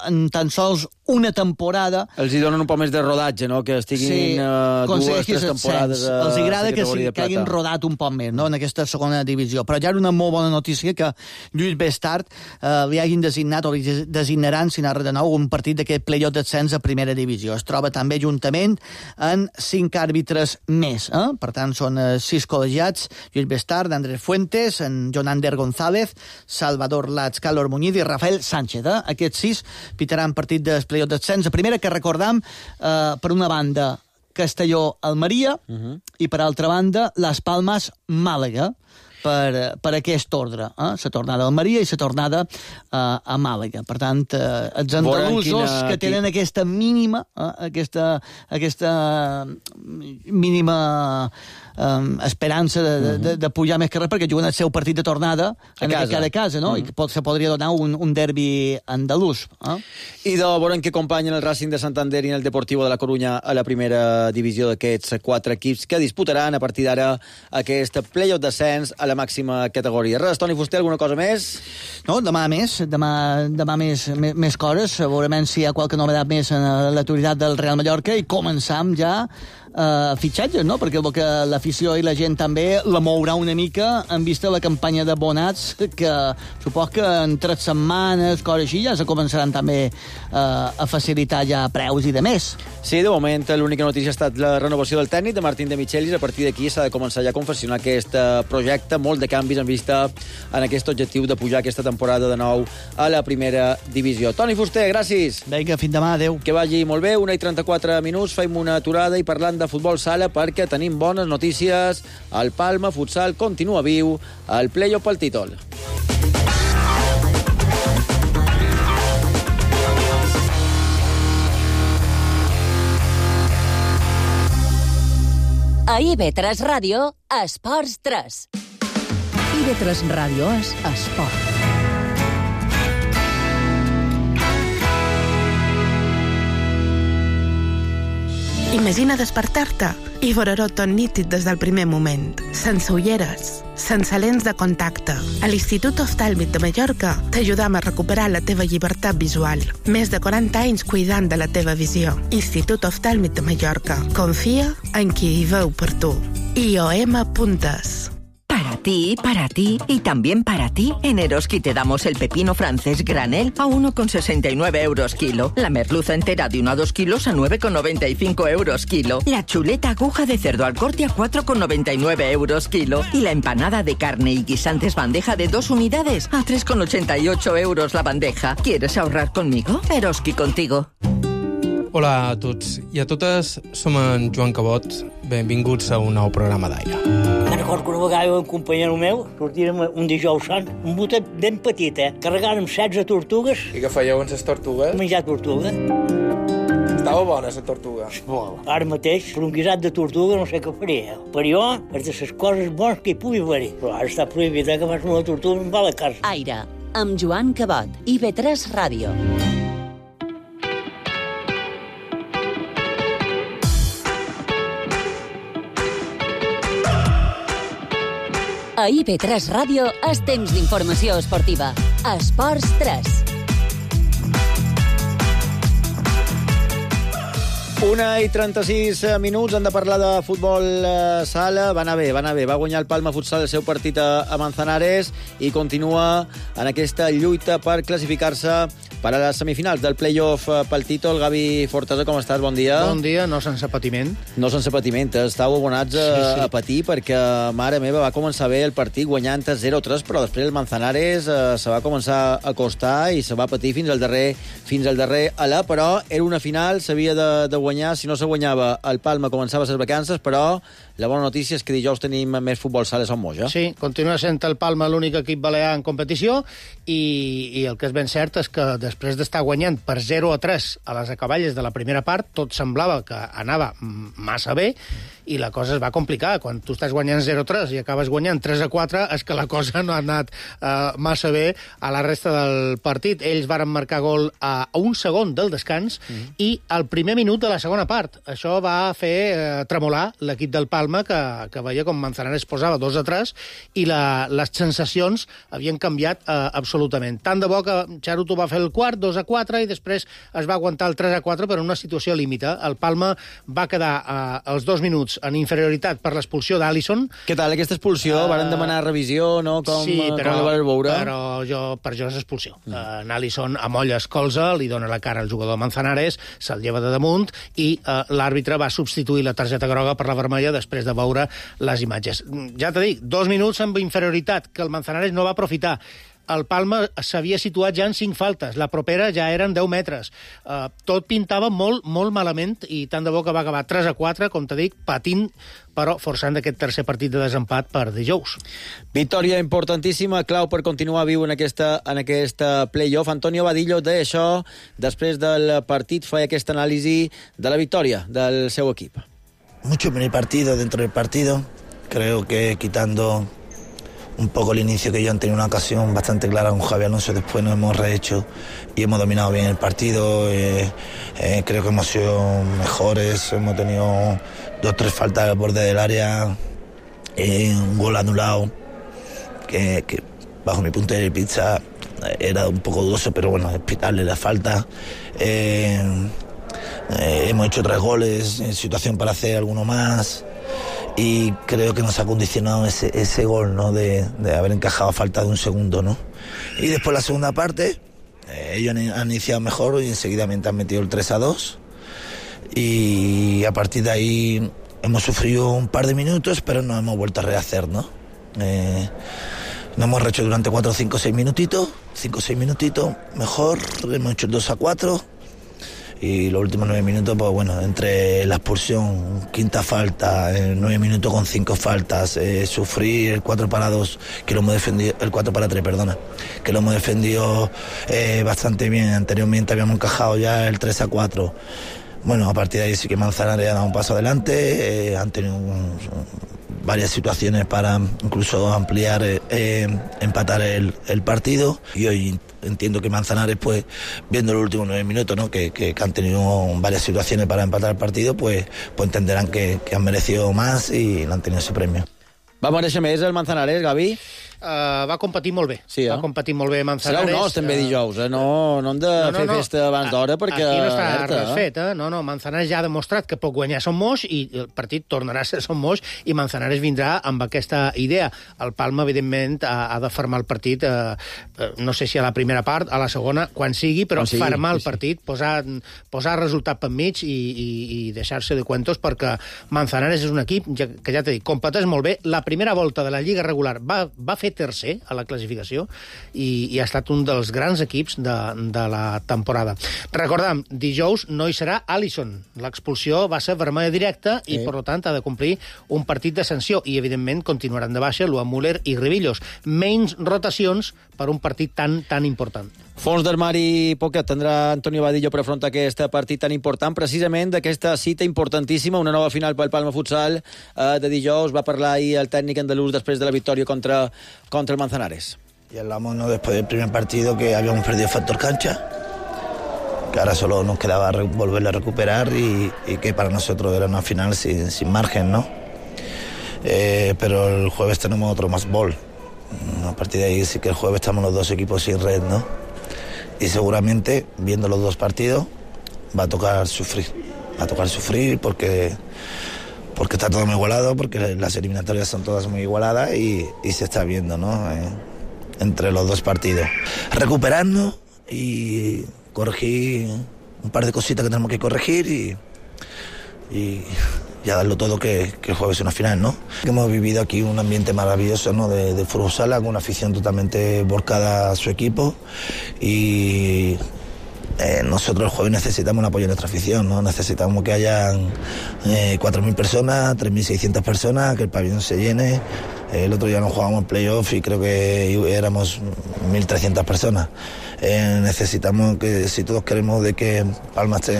en tan sols una temporada... Els hi donen un poc més de rodatge, no? Que estiguin sí, uh, dues, tres temporades a els agrada que, sí, que hagin rodat un poc més, no?, en aquesta segona divisió. Però ja era una molt bona notícia que Lluís Bestart eh, li hagin designat o li designaran, si n'ha de nou, un partit d'aquest playoff d'ascens a primera divisió. Es troba també juntament en cinc àrbitres més. Eh? Per tant, són eh, sis col·legiats: Lluís Bestart, Andrés Fuentes, en Jonander González, Salvador Lats, Carlos Muñiz i Rafael Sánchez. Eh? Aquests sis pitaran partit del playoff d'ascens a primera, que recordam, eh, per una banda, Castelló-Almeria, uh-huh. i per altra banda, Las Palmas-Màlaga. per, per aquest ordre, eh? La tornada a Almeria i la tornada eh, a Màlaga. Per tant, eh, els andalusos quina... que tenen aquesta mínima, eh, aquesta, aquesta mínima um, esperança de, de, de, de pujar més que res, perquè juguen el seu partit de tornada a casa. Cada casa, no? Mm. I pot, se podria donar un, un derbi andalús. Eh? I de veure en què acompanyen el Racing de Santander i el Deportivo de la Coruña a la primera divisió d'aquests quatre equips que disputaran a partir d'ara aquest play-off descens a la màxima categoria. Res, Toni Fuster, alguna cosa més? No, demà més, demà, demà més, més, més coses, segurament si hi ha qualque novedat més en l'actualitat del Real Mallorca i començam ja Uh, fitxatges, no? Perquè que l'afició i la gent també la mourà una mica en vista la campanya de bonats que supos que en tres setmanes, coses així, ja se començaran també uh, a facilitar ja preus i de més. Sí, de moment l'única notícia ha estat la renovació del tècnic de Martín de Michelis. A partir d'aquí s'ha de començar ja a confeccionar aquest projecte, molt de canvis en vista en aquest objectiu de pujar aquesta temporada de nou a la primera divisió. Toni Fuster, gràcies. Vinga, fins demà, adeu. Que vagi molt bé, una i trenta-quatre minuts, fem una aturada i parlant de futbol sala perquè tenim bones notícies. El Palma Futsal continua viu al play-off pel títol. A I B tres Ràdio, Esports tres. I B tres Ràdio és esport. Imagina despertar-te i veure-ho tot nítid des del primer moment, sense ulleres, sense lents de contacte. A l'Institut Oftàlmic de Mallorca t'ajudam a recuperar la teva llibertat visual. Més de quaranta anys cuidant de la teva visió. Institut Oftàlmic de Mallorca. Confia en qui hi veu per tu. I O M Puntes. Para ti, para ti y también para ti, en Eroski te damos el pepino francés granel a uno con sesenta y nueve euros kilo, la merluza entera de uno a dos kilos a nueve con noventa y cinco euros kilo, la chuleta aguja de cerdo al corte a cuatro con noventa y nueve euros kilo y la empanada de carne y guisantes bandeja de dos unidades a tres con ochenta y ocho euros la bandeja. ¿Quieres ahorrar conmigo? Eroski contigo. Hola a tots i a totes, som en Joan Cabot. Benvinguts a un nou programa d'Aire. Me'n recordo que una vegada un companyero meu sortirem un dijous sant, un botet ben petit, eh? Carregàrem setze tortugues. I què fèieu amb les tortugues? Menjar tortuga. Estava bona, la tortuga. Molt. Ara mateix, per un guisat de tortuga no sé què faria. Per jo, és de les coses bones que hi pugui haver. Però ara està prohibit, eh, que fas una tortuga amb la casa. Aire, amb Joan Cabot, I B tres Ràdio. A I B tres Ràdio és temps d'informació esportiva. Esports tres. Una i trenta-sis minuts, hem de parlar de futbol eh, sala. Va anar bé, va anar bé. Va guanyar el Palma Futsal el seu partit a, a Manzanares i continua en aquesta lluita per classificar-se per a les semifinals del play-off pel títol. Gavi Fortesa, com estàs? Bon dia. Bon dia, no sense patiment. No sense patiment, estàu abonats a, sí, sí. a patir perquè, mare meva, va començar bé el partit guanyant zero a tres, però després el Manzanares eh, se va començar a costar i se va patir fins al darrer, fins al darrer alà, però era una final, s'havia de, de guanyar. Si no se guanyava, el Palma començava les vacances, però la bona notícia és que dijous tenim més futbol sala a Son Moix. Sí, continua sent el Palma l'únic equip balear en competició i, i el que és ben cert és que després d'estar guanyant per zero a tres a les acaballes de la primera part, tot semblava que anava massa bé i la cosa es va complicar. Quan tu estàs guanyant zero a tres i acabes guanyant tres a quatre, és que la cosa no ha anat uh, massa bé a la resta del partit. Ells varen marcar gol a un segon del descans mm. i al primer minut de la segona part. Això va fer uh, tremolar l'equip del Palma, que, que veia com Manzanares posava dos a tres i la, les sensacions havien canviat uh, absolutament. Tant de bo que Charuto va fer el quart, dos a quatre, i després es va aguantar el tres a quatre per una situació límite. El Palma va quedar uh, als dos minuts en inferioritat per l'expulsió d'Alisson. Què tal, aquesta expulsió? Uh, Varen demanar revisió, no? Com, sí, però, com la vas veure? però jo, per jo és expulsió. Mm. Uh, en Alisson amolla es colza, li dona la cara al jugador Manzanares, se'l lleva de damunt i uh, l'àrbitre va substituir la targeta groga per la vermella després de veure les imatges. Ja t'he dit, dos minuts amb inferioritat, que el Manzanares no va aprofitar. el Palma s'havia situat ja en cinc faltes, la propera ja eren deu metres. Uh, tot pintava molt, molt malament, i tant de bo que va acabar tres a quatre, com te dic, patint, però forçant aquest tercer partit de desempat per dijous. Victòria importantíssima, clau per continuar viu en aquesta, en aquesta play-off. Antonio Vadillo deia això després del partit, feia aquesta anàlisi de la victòria del seu equip. Mucho en el partido, dentro del partido. Creo que quitando un poco el inicio, que yo han tenido una ocasión bastante clara con Javi Alonso, después nos hemos rehecho y hemos dominado bien el partido. Eh, eh, creo que hemos sido mejores, hemos tenido dos tres faltas al borde del área, eh, un gol anulado que, que bajo mi punto de vista era un poco dudoso, pero bueno, es pitarle la falta. Eh, eh, hemos hecho tres goles, en situación para hacer alguno más. Y creo que nos ha condicionado ese, ese gol, ¿no? De, de haber encajado a falta de un segundo, ¿no? Y después la segunda parte, eh, ellos han, han iniciado mejor y enseguidamente han metido el tres a dos. Y a partir de ahí hemos sufrido un par de minutos, pero nos hemos vuelto a rehacer, ¿no? Eh, nos hemos rehecho durante cuatro, cinco, seis minutitos, cinco o seis minutitos, mejor, hemos hecho el dos a cuatro. Y los últimos nueve minutos, pues bueno, entre la expulsión, quinta falta, eh, nueve minutos con cinco faltas, eh, sufrir el cuatro para dos, que lo hemos defendido, el cuatro para tres, perdona, que lo hemos defendido eh, bastante bien. Anteriormente habíamos encajado ya el tres a cuatro. Bueno, a partir de ahí sí que Manzanares ha dado un paso adelante, eh, han tenido un, varias situaciones para incluso ampliar, eh, eh, empatar el, el partido, y hoy entiendo que Manzanares, pues viendo los últimos nueve minutos, ¿no? que, que, que han tenido varias situaciones para empatar el partido, pues, pues entenderán que, que han merecido más y han tenido ese premio. Va mereixer més el Manzanares, Gavi? Uh, va competir molt bé. Sí, eh? Va competir molt bé Manzanares. Serà un os, també, dijous. Eh? No, no hem de no, no, fer no. festa abans d'hora, perquè... Aquí no està alerta, res fet, eh? No, no, Manzanares ja ha demostrat que pot guanyar Son Moix, i el partit tornarà a ser Son Moix, i Manzanares vindrà amb aquesta idea. El Palma, evidentment, ha, ha de fermar el partit, eh, no sé si a la primera part, a la segona, quan sigui, però sigui, fermar el partit, sí. posar, posar resultat per mig i, i, i deixar-se de cuentos, perquè Manzanares és un equip que, ja t'he dit, competeix molt bé. La primera volta de la Lliga regular va, va fer tercer a la classificació i, i ha estat un dels grans equips de, de la temporada. Recordem, dijous no hi serà Alisson. L'expulsió va ser vermella directa i, sí. per tant, ha de complir un partit de sanció, i, evidentment, continuaran de baixa Luan Müller i Ribillos. Menys rotacions per un partit tan, tan important. Fons d'armari poquet tindrà Antonio Vadillo per afrontar aquest partit tan important, precisament d'aquesta cita importantíssima, una nova final pel Palma Futsal eh, de dijous. Va parlar ahir el tècnic andalús després de la victòria contra, contra el Manzanares. Y hablamos, ¿no?, después del primer partido, que habíamos perdido factor cancha, que ahora solo nos quedaba volverle a recuperar, y, y que para nosotros era una final sin, sin margen, ¿no? Eh, pero el jueves tenemos otro más ball. A partir de ahí sí que el jueves estamos los dos equipos sin red, ¿no? Y seguramente, viendo los dos partidos, va a tocar sufrir. Va a tocar sufrir porque, porque está todo muy igualado, porque las eliminatorias son todas muy igualadas, y, y se está viendo, ¿no? Eh, entre los dos partidos. Recuperarnos y corregir un par de cositas que tenemos que corregir, y, y ya darlo todo, que, que el jueves es una final, ¿no? Hemos vivido aquí un ambiente maravilloso, ¿no?, de, de fútbol sala, con una afición totalmente volcada a su equipo, y eh, nosotros el jueves necesitamos el apoyo de nuestra afición, ¿no? Necesitamos que hayan eh, cuatro mil personas, tres mil seiscientas personas, que el pabellón se llene. El otro día nos jugábamos en playoff y creo que éramos mil trescientas personas. Eh, necesitamos que, si todos queremos de que Palma esté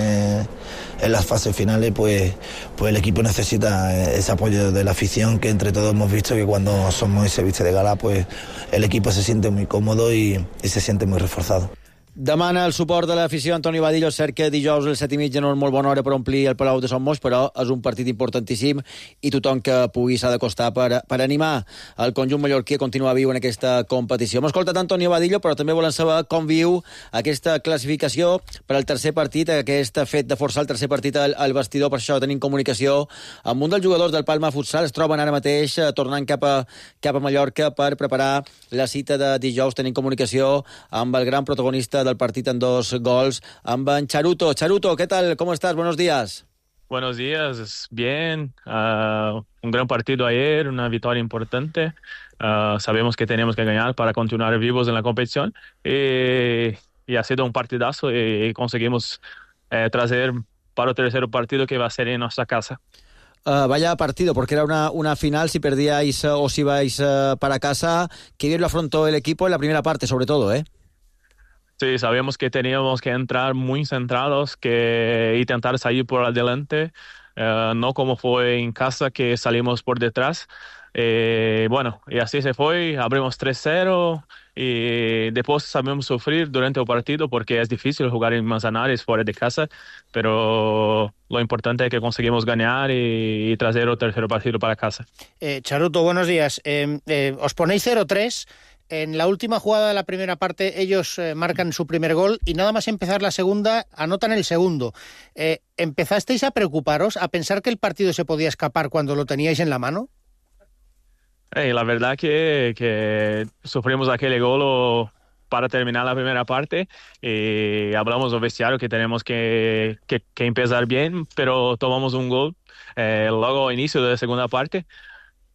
en las fases finales, pues, pues el equipo necesita ese apoyo de la afición, que entre todos hemos visto que cuando somos y se viste de gala, pues el equipo se siente muy cómodo y, y se siente muy reforzado. Demana el suport de l'afició Antoni Vadillo. És cert que dijous a les set i mitja no és molt bona hora per omplir el Palau de Son Moix, però és un partit importantíssim i tothom que pugui s'ha d'acostar per, per animar el conjunt mallorquí a continuar viu en aquesta competició. Hem escoltat Antoni Vadillo, però també volem saber com viu aquesta classificació per al tercer partit, aquest fet de forçar el tercer partit al, al vestidor. Per això tenim comunicació amb un dels jugadors del Palma Futsal. Es troben ara mateix tornant cap a, cap a Mallorca per preparar la cita de dijous. Tenim comunicació amb el gran protagonista del partido en dos gols, amb en Charuto. Charuto, ¿qué tal? ¿Cómo estás? Buenos días. Buenos días, bien. Uh, un gran partido ayer, una victoria importante. Uh, sabemos que tenemos que ganar para continuar vivos en la competición y, y ha sido un partidazo y, y conseguimos eh, traer para el tercer partido que va a ser en nuestra casa. Uh, vaya partido, porque era una, una final, si perdíais uh, o si ibais uh, para casa. Qué bien lo afrontó el equipo en la primera parte, sobre todo, ¿eh? Sí, sabíamos que teníamos que entrar muy centrados, que intentar salir por adelante, uh, no como fue en casa que salimos por detrás. Eh, bueno, y así se fue, abrimos tres cero y después sabemos sufrir durante el partido porque es difícil jugar en Manzanares fuera de casa, pero lo importante es que conseguimos ganar y, y traer el tercer partido para casa. Eh, Charuto, buenos días. Eh, eh, os ponéis cero tres. En la última jugada de la primera parte ellos eh, marcan su primer gol y nada más empezar la segunda anotan el segundo. Eh, ¿Empezasteis a preocuparos, a pensar que el partido se podía escapar cuando lo teníais en la mano? Hey, la verdad que, que sufrimos aquel gol para terminar la primera parte y hablamos del vestiario que tenemos que, que, que empezar bien, pero tomamos un gol eh, luego al inicio de la segunda parte,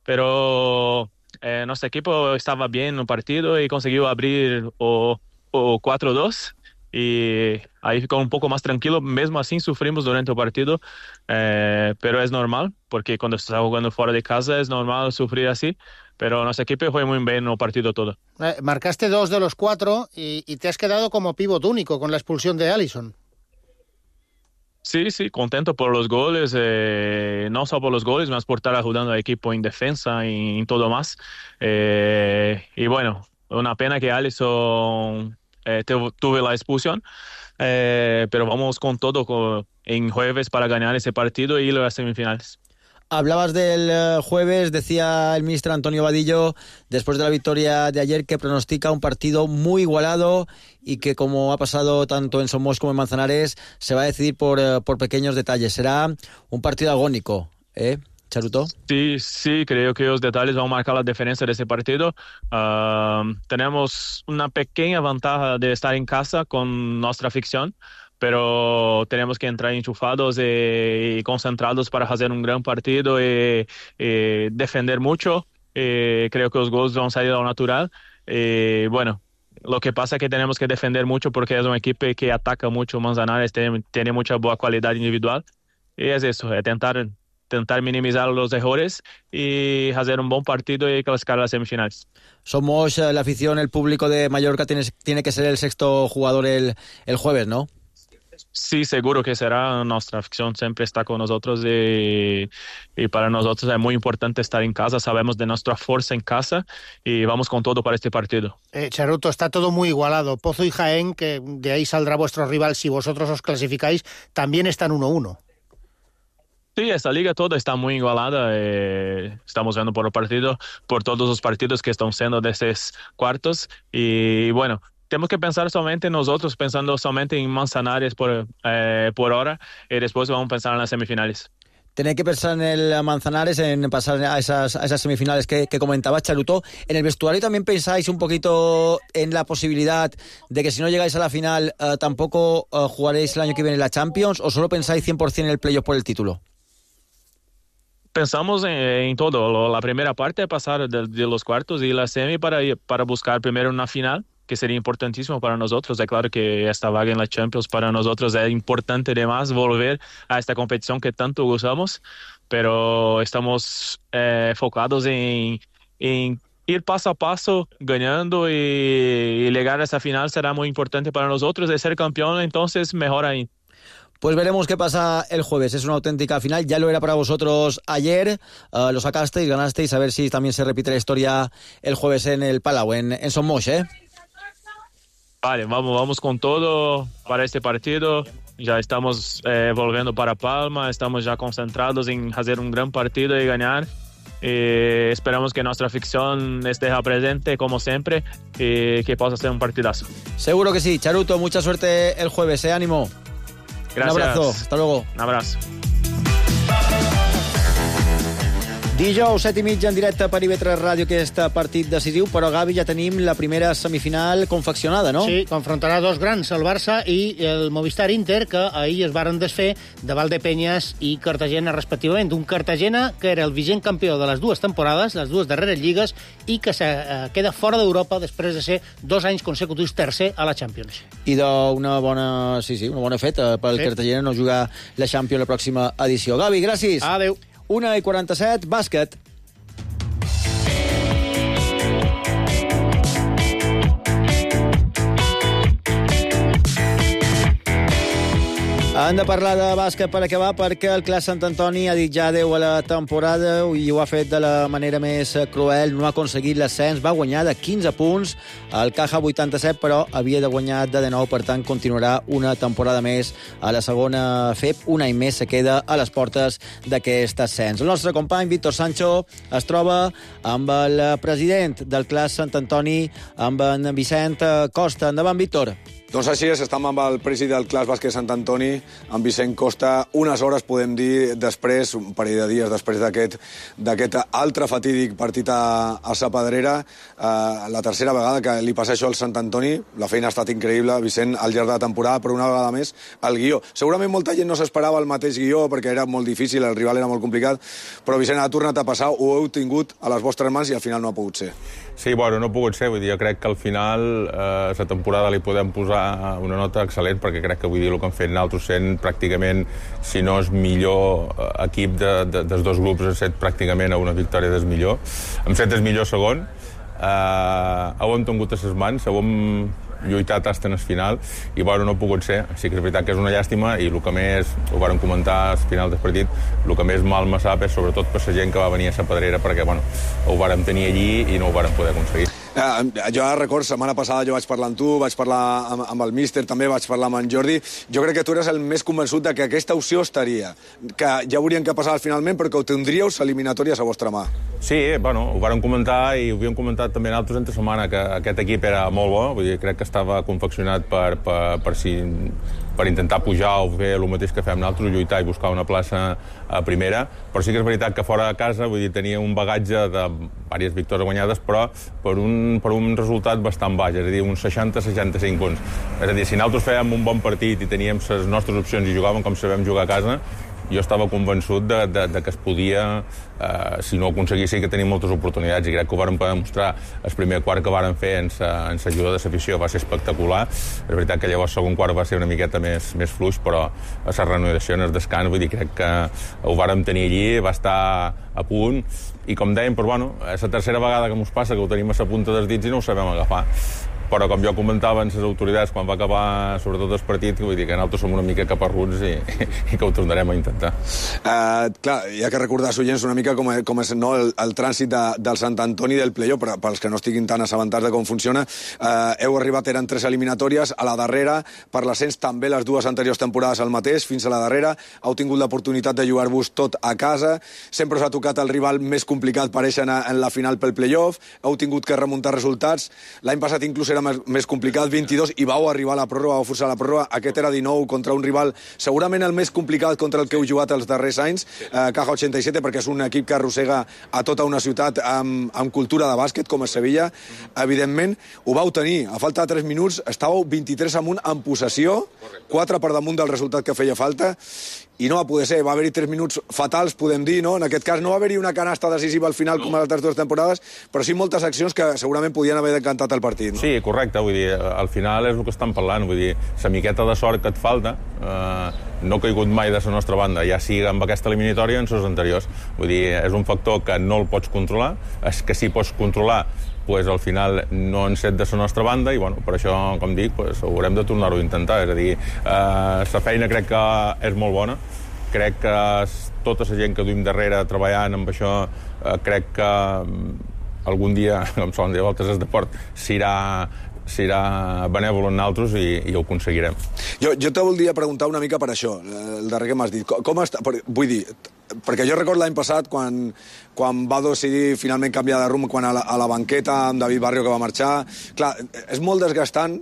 pero eh, nuestro equipo estaba bien en el partido y consiguió abrir o, o cuatro dos. Y ahí ficou un poco más tranquilo. Mesmo así sufrimos durante el partido, eh, pero es normal, porque cuando estás jugando fuera de casa es normal sufrir así, pero nuestro equipo fue muy bien el partido todo. Eh, marcaste dos de los cuatro y, y te has quedado como pívot único con la expulsión de Alisson. Sí, sí, contento por los goles, eh, no solo por los goles, más por estar ayudando al equipo en defensa y en todo más. Eh, y bueno, una pena que Alisson Eh, tuve la expulsión, eh, pero vamos con todo con, en jueves para ganar ese partido y ir a las semifinales. Hablabas del uh, jueves, decía el ministro Antonio Vadillo, después de la victoria de ayer, que pronostica un partido muy igualado y que, como ha pasado tanto en Somos como en Manzanares, se va a decidir por, uh, por pequeños detalles. Será un partido agónico, ¿eh, Charuto? Sí, sí, creo que los detalles van a marcar la diferencia de ese partido. Uh, tenemos una pequeña ventaja de estar en casa con nuestra afición, pero tenemos que entrar enchufados y, y concentrados para hacer un gran partido y, y defender mucho. Y creo que los goles van a salir a lo natural. Y bueno, lo que pasa es que tenemos que defender mucho porque es un equipo que ataca mucho. Manzanares tiene, tiene mucha buena calidad individual. Y es eso, es tentar... intentar minimizar los errores y hacer un buen partido y clasificar a las semifinales. Somos eh, la afición, el público de Mallorca tiene, tiene que ser el sexto jugador el, el jueves, ¿no? Sí, seguro que será. Nuestra afición siempre está con nosotros y, y para nosotros es muy importante estar en casa. Sabemos de nuestra fuerza en casa y vamos con todo para este partido. Eh, Charuto, está todo muy igualado. Pozo y Jaén, que de ahí saldrá vuestro rival si vosotros os clasificáis, también están uno uno. Sí, esta liga toda está muy igualada. Eh, estamos viendo por el partido, por todos los partidos que están siendo de estos cuartos. Y bueno, tenemos que pensar solamente en nosotros, pensando solamente en Manzanares por, eh, por hora, y después vamos a pensar en las semifinales. Tenéis que pensar en el Manzanares, en pasar a esas, a esas semifinales que, que comentaba Charuto. ¿En el vestuario también pensáis un poquito en la posibilidad de que si no llegáis a la final eh, tampoco eh, jugaréis el año que viene la Champions, o solo pensáis cien por ciento en el playoff por el título? Pensamos en, en todo. La primera parte es pasar de, de los cuartos y la semi para, para buscar primero una final, que sería importantísimo para nosotros. Es claro que esta vaga en la Champions para nosotros es importante además volver a esta competición que tanto gustamos, pero estamos eh, enfocados en, en ir paso a paso ganando y, y llegar a esta final será muy importante para nosotros. De ser campeón, entonces mejor ahí. Pues veremos qué pasa el jueves. Es una auténtica final. Ya lo era para vosotros ayer. Uh, lo sacasteis, ganasteis. A ver si también se repite la historia el jueves en el Palau, en, en Son Moix, ¿eh? Vale, vamos, vamos con todo para este partido. Ya estamos eh, volviendo para Palma. Estamos ya concentrados en hacer un gran partido y ganar. Y esperamos que nuestra afición esté presente como siempre y que pueda ser un partidazo. Seguro que sí. Charuto, mucha suerte el jueves, ¿eh? Ánimo. Gracias. Un abrazo, hasta luego. Un abrazo. Dijous, set i mitja, en directe per I B tres Ràdio, aquest partit decisiu, però, Gavi, ja tenim la primera semifinal confeccionada, no? Sí, confrontarà dos grans, el Barça i el Movistar Inter, que ahir es varen desfer de Valdepeñas i Cartagena, respectivament. Un Cartagena que era el vigent campió de les dues temporades, les dues darreres lligues, i que se, eh, queda fora d'Europa després de ser dos anys consecutius tercer a la Champions. I d'una bona, sí, sí, una bona feta pel sí. Cartagena no jugar la Champions la pròxima edició. Gavi, gràcies. Adéu. una i quaranta-set, bàsquet. Hem de parlar de bàsquet per acabar, perquè el Clas Sant Antoni ha dit ja adeu a la temporada i ho ha fet de la manera més cruel. No ha aconseguit l'ascens, va guanyar de quinze punts el Caja vuitanta-set, però havia de guanyar de dinou, per tant continuarà una temporada més a la segona F E P. Un any més se queda a les portes d'aquest ascens. El nostre company Víctor Sancho es troba amb el president del Clas Sant Antoni, amb en Vicent Costa. Endavant, Víctor. Doncs així és, estem amb el president del Clas Bàsquet Sant Antoni, amb Vicent Costa, unes hores, podem dir, després, un parell de dies després d'aquest d'aquest altre fatídic partit a, a Sa Pedrera, eh, la tercera vegada que li passa això al Sant Antoni. La feina ha estat increïble, Vicent, al llarg de la temporada, però una vegada més, el guió. Segurament molta gent no s'esperava el mateix guió, perquè era molt difícil, el rival era molt complicat, però Vicent, ha tornat a passar, ho heu tingut a les vostres mans i al final no ha pogut ser. Sí, bueno, no ha pogut ser, vull dir, jo crec que al final eh, la temporada li podem posar una nota excel·lent, perquè crec que, vull dir, el que han fet nosaltres sent pràcticament, si no és millor equip de, de, dels dos grups, hem set pràcticament a una victòria del millor. Hem set el millor segon, eh, ho hem tingut a les mans, ho hem lluitat fins al final, i bueno, no ha pogut ser. Sí que és veritat que és una llàstima, i el que més, ho vàrem comentar al final del partit, el que més mal me sap és sobretot per la gent que va venir a Sa Pedrera, perquè bueno, ho vàrem tenir allí i no ho vàrem poder aconseguir. Eh, jo recordo, setmana passada jo vaig parlar amb tu, vaig parlar amb, amb el míster, també vaig parlar amb en Jordi. Jo crec que tu eres el més convençut de que aquesta opció estaria, que ja haurien que passar finalment, perquè ho tindríeu eliminatòries a vostra mà. Sí, bueno, ho vàrem comentar i ho havíem comentat també nosaltres entre setmana, que aquest equip era molt bo, vull dir, crec que estava confeccionat per, per, per si... per intentar pujar o fer el mateix que fem nosaltres, lluitar i buscar una plaça a primera, però sí que és veritat que fora de casa, vull dir, tenia un bagatge de diverses victòries guanyades, però per un, per un resultat bastant baix, és a dir, uns seixanta a seixanta-cinc punts. És a dir, si nosaltres fèiem un bon partit i teníem les nostres opcions i jugàvem com sabem jugar a casa, jo estava convençut de, de, de que es podia, eh, si no ho aconseguissin, que tenim moltes oportunitats, i crec que ho vàrem poder demostrar el primer quart que vàrem fer en l'ajuda de l'afició, va ser espectacular. És veritat que llavors el segon quart va ser una miqueta més, més fluix, però a la renovació en el descans, vull dir, crec que ho vàrem tenir allí, va estar a punt, i com dèiem, però, bueno, és la tercera vegada que ens passa que ho tenim a la punta dels dits i no ho sabem agafar. Però com jo comentava en les autoritats quan va acabar sobretot el partit, vull dir que nosaltres som una mica caparruts i, i que ho tornarem a intentar. Uh, clar, hi ha que recordar als oients una mica com, com és no, el, el trànsit de, del Sant Antoni del playoff, per, pels que no estiguin tan assabentats de com funciona. Uh, heu arribat, eren tres eliminatòries, a la darrera, per l'ascens també les dues anteriors temporades al mateix, fins a la darrera, heu tingut l'oportunitat de jugar-vos tot a casa, sempre us ha tocat el rival més complicat, pareix, en, en la final pel playoff, heu tingut que remuntar resultats, l'any passat inclús era més, més complicat, vint-i-dos, i vau arribar a la pròrroga, vau forçar la pròrroga. Aquest era dinou contra un rival segurament el més complicat contra el que heu jugat els darrers anys, eh, Caja ochenta i set, perquè és un equip que arrossega a tota una ciutat amb, amb cultura de bàsquet, com és Sevilla. Evidentment, ho vau tenir. A falta de tres minuts, estàveu vint-i-tres amunt en possessió, quatre per damunt del resultat que feia falta, i no va poder ser, va haver-hi tres minuts fatals, podem dir, no? En aquest cas no va haver-hi una canasta decisiva al final com a les altres dues temporades, però sí moltes accions que segurament podien haver decantat el partit, no? Sí, correcte, vull dir, al final és el que estan parlant, vull dir, la miqueta de sort que et falta, eh, no ha caigut mai de la nostra banda, ja sigui amb aquesta eliminatòria o en les anteriors. Vull dir, és un factor que no el pots controlar, és que sí pots controlar, pues, al final no han set de la nostra banda, i bueno, per això, com dic, pues, haurem de tornar-ho a intentar. És a dir, eh, la feina crec que és molt bona, crec que tota la gent que duim darrere treballant amb això, eh, crec que algun dia, com solen dir a voltes, el deport s'irà serà benèvol en nosaltres i, i ho aconseguirem. Jo, jo te voldria preguntar una mica per això, el darrer que m'has dit. Com, com està, per, vull dir, perquè jo recordo l'any passat quan, quan va decidir finalment canviar de rumb, quan a la, a la banqueta amb David Barrio que va marxar. Clar, és molt desgastant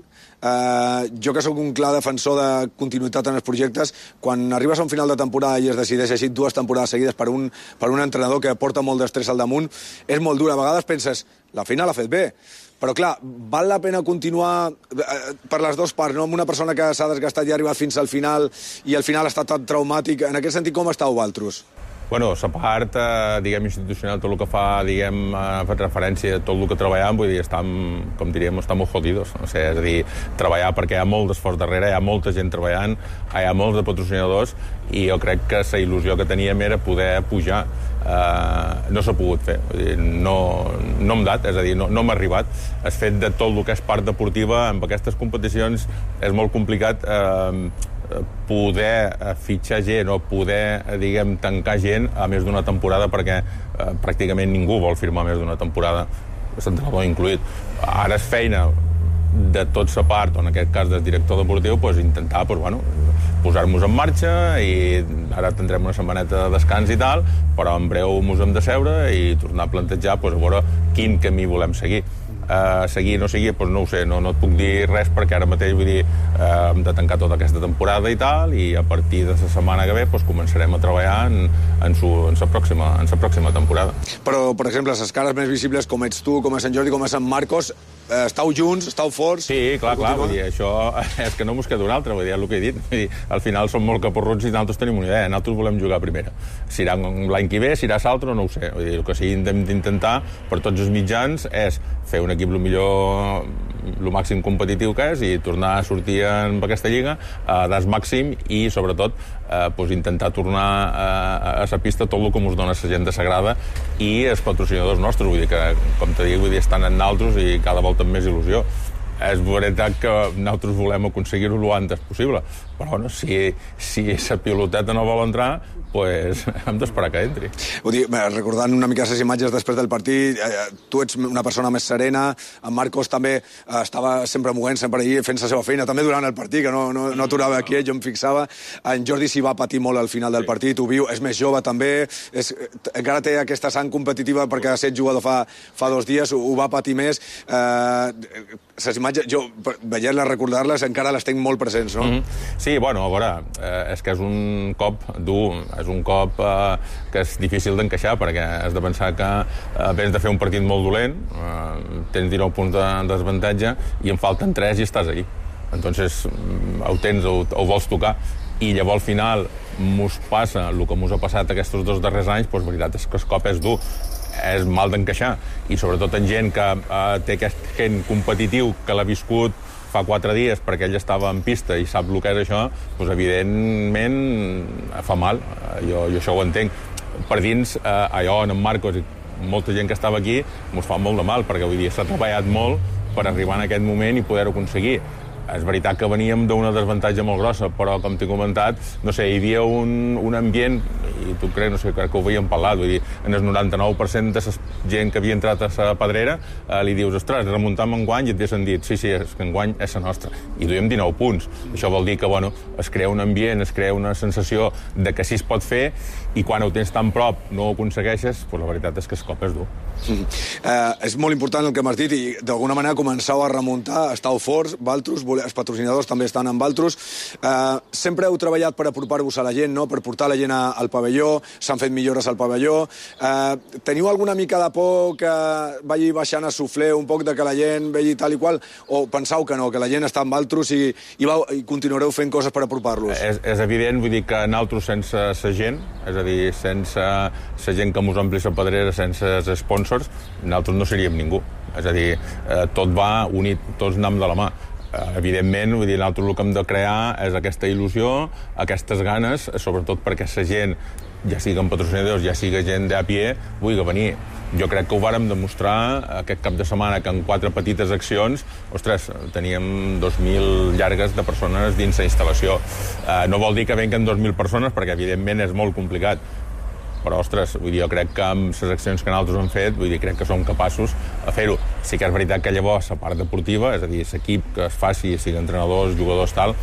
eh, jo que sóc un clar defensor de continuïtat en els projectes, quan arribes a un final de temporada i es decideix així dues temporades seguides per un, per un entrenador que porta molt d'estrès al damunt, és molt dur. A vegades penses, la feina l'ha fet bé, però clar, val la pena continuar eh, per les dues parts, no? Amb una persona que s'ha desgastat i ha arribat fins al final i al final ha estat tan traumàtic. En aquest sentit, com estàu vosaltres? Bueno, la part, eh, diguem, institucional, tot el que fa, diguem, eh, fa referència a tot el que treballem, vull dir, estem, com diríem, estem molt jodidos. O sigui, és a dir, treballar perquè hi ha molt d'esforç darrere, hi ha molta gent treballant, hi ha molts de patrocinadors, i jo crec que la il·lusió que teníem era poder pujar. Uh, no s'ha pogut fer. Vull dir, no, no hem dat, és a dir, no, no m'ha arribat. El fet de tot el que és part deportiva, amb aquestes competicions, és molt complicat eh, poder fitxar gent o poder, diguem, tancar gent a més d'una temporada, perquè eh, pràcticament ningú vol firmar més d'una temporada, l'entrenador incluït. Ara és feina de tot sa part, o en aquest cas del director deportiu, pues, intentar pues, bueno, posar-nos en marxa, i ara tindrem una setmaneta de descans i tal, però en breu mos hem de seure i tornar a plantejar pues, a veure quin camí volem seguir. Uh, seguir no seguir, doncs no ho sé, no, no et puc dir res, perquè ara mateix, vull dir, uh, hem de tancar tota aquesta temporada i tal, i a partir de la setmana que ve doncs, començarem a treballar en, en, su, en, sa pròxima, en sa pròxima temporada. Però, per exemple, les cares més visibles, com ets tu, com és Sant Jordi, com és Sant Marcos, eh, estàu junts, estàu forts... Sí, clar, clar, vull dir, això és que no mos queda un altre, vull dir, el que he dit. Vull dir, al final som molt caporruts i nosaltres tenim una idea, nosaltres volem jugar a primera. Si irà l'any que ve, si irà l'altre, no ho sé. Vull dir, el que sí hem d'intentar per tots els mitjans és fer un equip el millor, el màxim competitiu que és, i tornar a sortir en aquesta lliga a das màxim, i sobretot eh, pues, intentar tornar a, a la pista tot el que ens dona la gent de Sagrada i els patrocinadors nostres, vull dir que, com te dic, vull dir, estan en naltros i cada volta amb més il·lusió. És veritat que nosaltres volem aconseguir-ho el antes possible, però bueno, si, si la piloteta no vol entrar, pues hem d'esperar que entri. Vull dir, recordant una mica les imatges després del partit, eh, tu ets una persona més serena, en Marcos també eh, estava sempre movent, sempre allà fent la seva feina, també durant el partit, que no, no, no aturava aquí, jo em fixava. En Jordi s'hi va patir molt al final del partit, ho viu, és més jove també, és, encara té aquesta sang competitiva perquè ha estat jugador fa, fa dos dies, ho, ho va patir més. Eh, les imatges, jo, veient-les, recordar-les, encara les tenc molt presents, no? Mm-hmm. Sí, bueno, a veure, eh, és que és un cop dur, és un cop eh, que és difícil d'encaixar, perquè has de pensar que eh, vens de fer un partit molt dolent, eh, tens dinou punts de desavantatge, i en falten tres i estàs allí. Entonces, ho tens, ho, ho vols tocar, i llavors al final mos passa el que mos ha passat aquests dos darrers anys, doncs veritat és que el cop és dur, és mal d'encaixar, i sobretot en gent que eh, té aquest gent competitiu que l'ha viscut fa quatre dies perquè ell estava en pista i sap el que és això, doncs evidentment fa mal, jo, jo això ho entenc. Per dins, eh, allò en Marcos i molta gent que estava aquí mos fa molt de mal, perquè vull dir, s'ha treballat molt per arribar en aquest moment i poder-ho aconseguir. És veritat que veníem d'una desavantatge molt grossa, però, com t'he comentat, no sé, hi havia un, un ambient, i tu crec, no sé, crec que ho havíem parlat, vull dir, en el noranta-nou per cent de la gent que havia entrat a la pedrera, eh, li dius, ostres, remuntam enguany, i et haguessin dit, sí, sí, és que enguany és la nostra. I duiem dinou punts. Això vol dir que, bueno, es crea un ambient, es crea una sensació de que sí es pot fer, i quan ho tens tan prop no ho aconsegueixes, doncs la veritat és que el cop és dur. Mm. Eh, és molt important el que m'has dit, i d'alguna manera començau a remuntar, estàu forts, Valtros, els patrocinadors també estan amb Valtros. Eh, sempre heu treballat per apropar-vos a la gent, no? Per portar la gent a, al pavelló, s'han fet millores al pavelló. Eh, teniu alguna mica de por que vagi baixant a sufler un poc de que la gent vegi tal i qual, o pensau que no, que la gent està amb Valtros i, i, va, i continuareu fent coses per apropar-los? És, és evident, vull dir que nosaltres sense la gent, és a dir, sense la gent que mos ompli la pedrera, sense els sponsors, nosaltres no seríem ningú. És a dir, eh, tot va unit, tots anem de la mà. Evidentment, vull dir, nosaltres el que hem de crear és aquesta il·lusió, aquestes ganes, sobretot perquè la gent, ja siguin patrocinadors, ja sigui gent de a pie, vulgui venir. Jo crec que ho vàrem demostrar aquest cap de setmana, que en quatre petites accions, ostres, teníem dos mil llargues de persones dins la instal·lació. Eh, no vol dir que venguen dos mil persones, perquè evidentment és molt complicat, però, ostres, vull dir, jo crec que amb les accions que nosaltres hem fet, vull dir, crec que som capaços de fer-ho. Sí que és veritat que llavors la part deportiva, és a dir, l'equip que es faci, sigui entrenadors, jugadors, tal,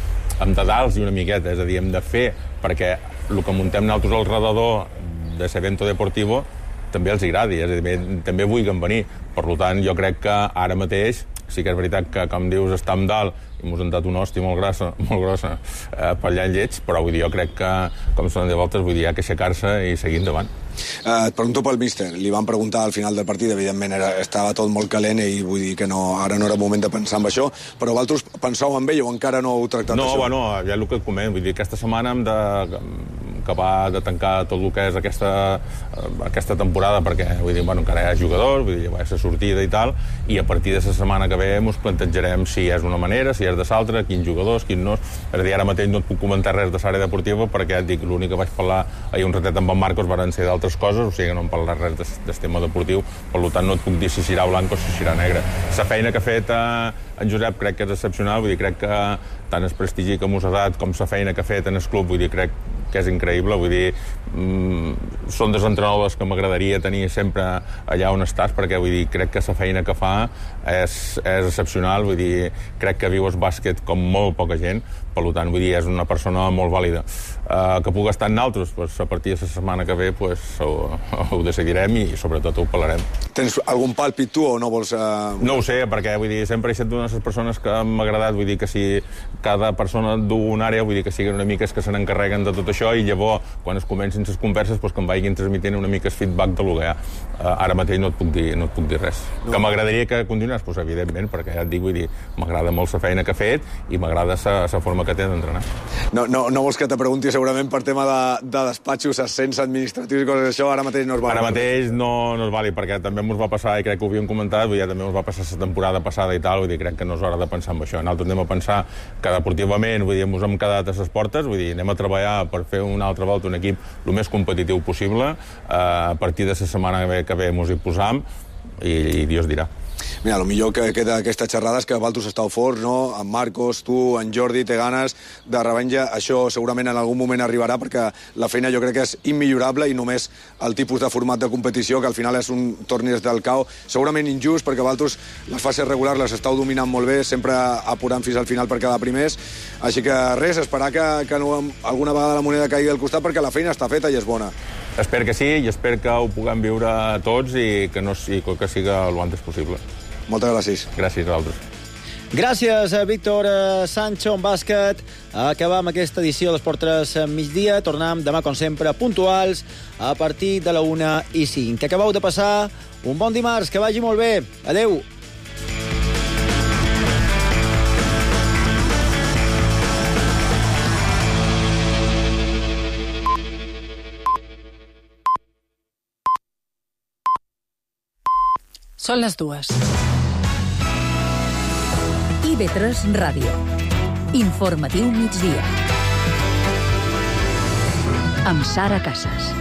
hem de dar-los una miqueta, és a dir, hem de fer, perquè el que muntem nosaltres al redador de l'evento deportivo també els agradi, és a dir, també vulguin venir. Per tant, jo crec que ara mateix sí que és veritat que, com dius, estàvem dalt i mos han dat una hòstia molt grossa, molt grossa eh, per allà en lleig, però vull dir, jo crec que, com són de voltes, vull dir, hi ha que aixecar-se i seguir endavant. Eh, et pregunto pel míster. Li van preguntar al final del partit, evidentment era, estava tot molt calent i vull dir que no, ara no era moment de pensar en això, però vosaltres penseu en ell o encara no heu tractat no, això? No, bueno, ja el que et comento, vull dir, aquesta setmana hem de acabar de tancar tot el que és aquesta, aquesta temporada, perquè vull dir, bueno, encara hi ha jugadors, vull dir, va ser sortida i tal, i a partir de la setmana que ve ens plantejarem si és una manera, si és de l'altra, quins jugadors, quins no. És a dir, ara mateix no et puc comentar res de l'àrea deportiva perquè et dic, l'únic que vaig parlar ahir un ratet amb en Marcos van ser d'altres coses, o sigui que no em parlarà res de, del tema deportiu, per tant no et puc dir si serà blanc o si serà negre. La feina que ha fet eh, en Josep crec que és excepcional, vull dir, crec que tant el prestigi que mos ha dat com la feina que ha fet en el club, vull dir, crec que és increïble, vull dir, mmm, són dels entrenadors que m'agradaria tenir sempre allà on estàs, perquè vull dir, crec que la feina que fa és, és excepcional, vull dir, crec que viu el bàsquet com molt poca gent, per tant, vull dir, és una persona molt vàlida. Uh, que pugui estar en altres, pues, a partir de la setmana que ve pues, ho, ho decidirem i sobretot ho parlarem. Tens algun pàlpit tu o no vols... Uh... No ho sé, perquè vull dir, sempre he estat una de les persones que m'ha agradat, vull dir que si cada persona du una àrea, vull dir que siguin una mica que se n'encarreguen de tot això i llavors, quan es comencin les converses, pues, que em vagin transmitint una mica el feedback de lo que hi ha. Uh, ara mateix no et puc dir, no et puc dir res. No. Que m'agradaria que continués, pues, evidentment, perquè ja et dic, vull dir, m'agrada molt la feina que ha fet i m'agrada la forma que té d'entrenar. No, no, no vols que te pregunti segurament per tema de, de despatxos, ascens administratius i coses d'això, ara mateix no es val. Ara mateix no, no es vali, perquè també ens va passar, i crec que ho havíem comentat, vull dir, també ens va passar la temporada passada i tal, vull dir, crec que no és hora de pensar en això. Nosaltres anem a pensar que deportivament, vull dir, ens hem quedat a les portes, vull dir, anem a treballar per fer una altra volta un equip el més competitiu possible, eh, a partir de la setmana que ve, que ve ens hi posam i, i Dios dirà. Mira, el millor que queda d'aquesta xerrada és que vosaltres esteu forts, no? En Marcos, tu, en Jordi, té ganes de revenja. Això segurament en algun moment arribarà perquè la feina jo crec que és immillorable i només el tipus de format de competició, que al final és un torneig del cau, segurament injust perquè vosaltres les fases regulars les esteu dominant molt bé, sempre apurant fins al final per quedar primers. Així que res, esperar que, que no, alguna vegada la moneda caigui al costat perquè la feina està feta i és bona. Espero que sí i espero que ho puguem viure tots i que, no, i que siga el antes possible. Moltes gràcies. Gràcies a vosaltres. Gràcies a Víctor Sancho en bàsquet. Acabam aquesta edició d'Esport tres migdia. Tornem demà, com sempre, puntuals a partir de la una i cinc. Que acabeu de passar un bon dimarts, que vagi molt bé. Adeu. Són les dues. I B tres Ràdio. Informatiu migdia. Amb Sara Casas.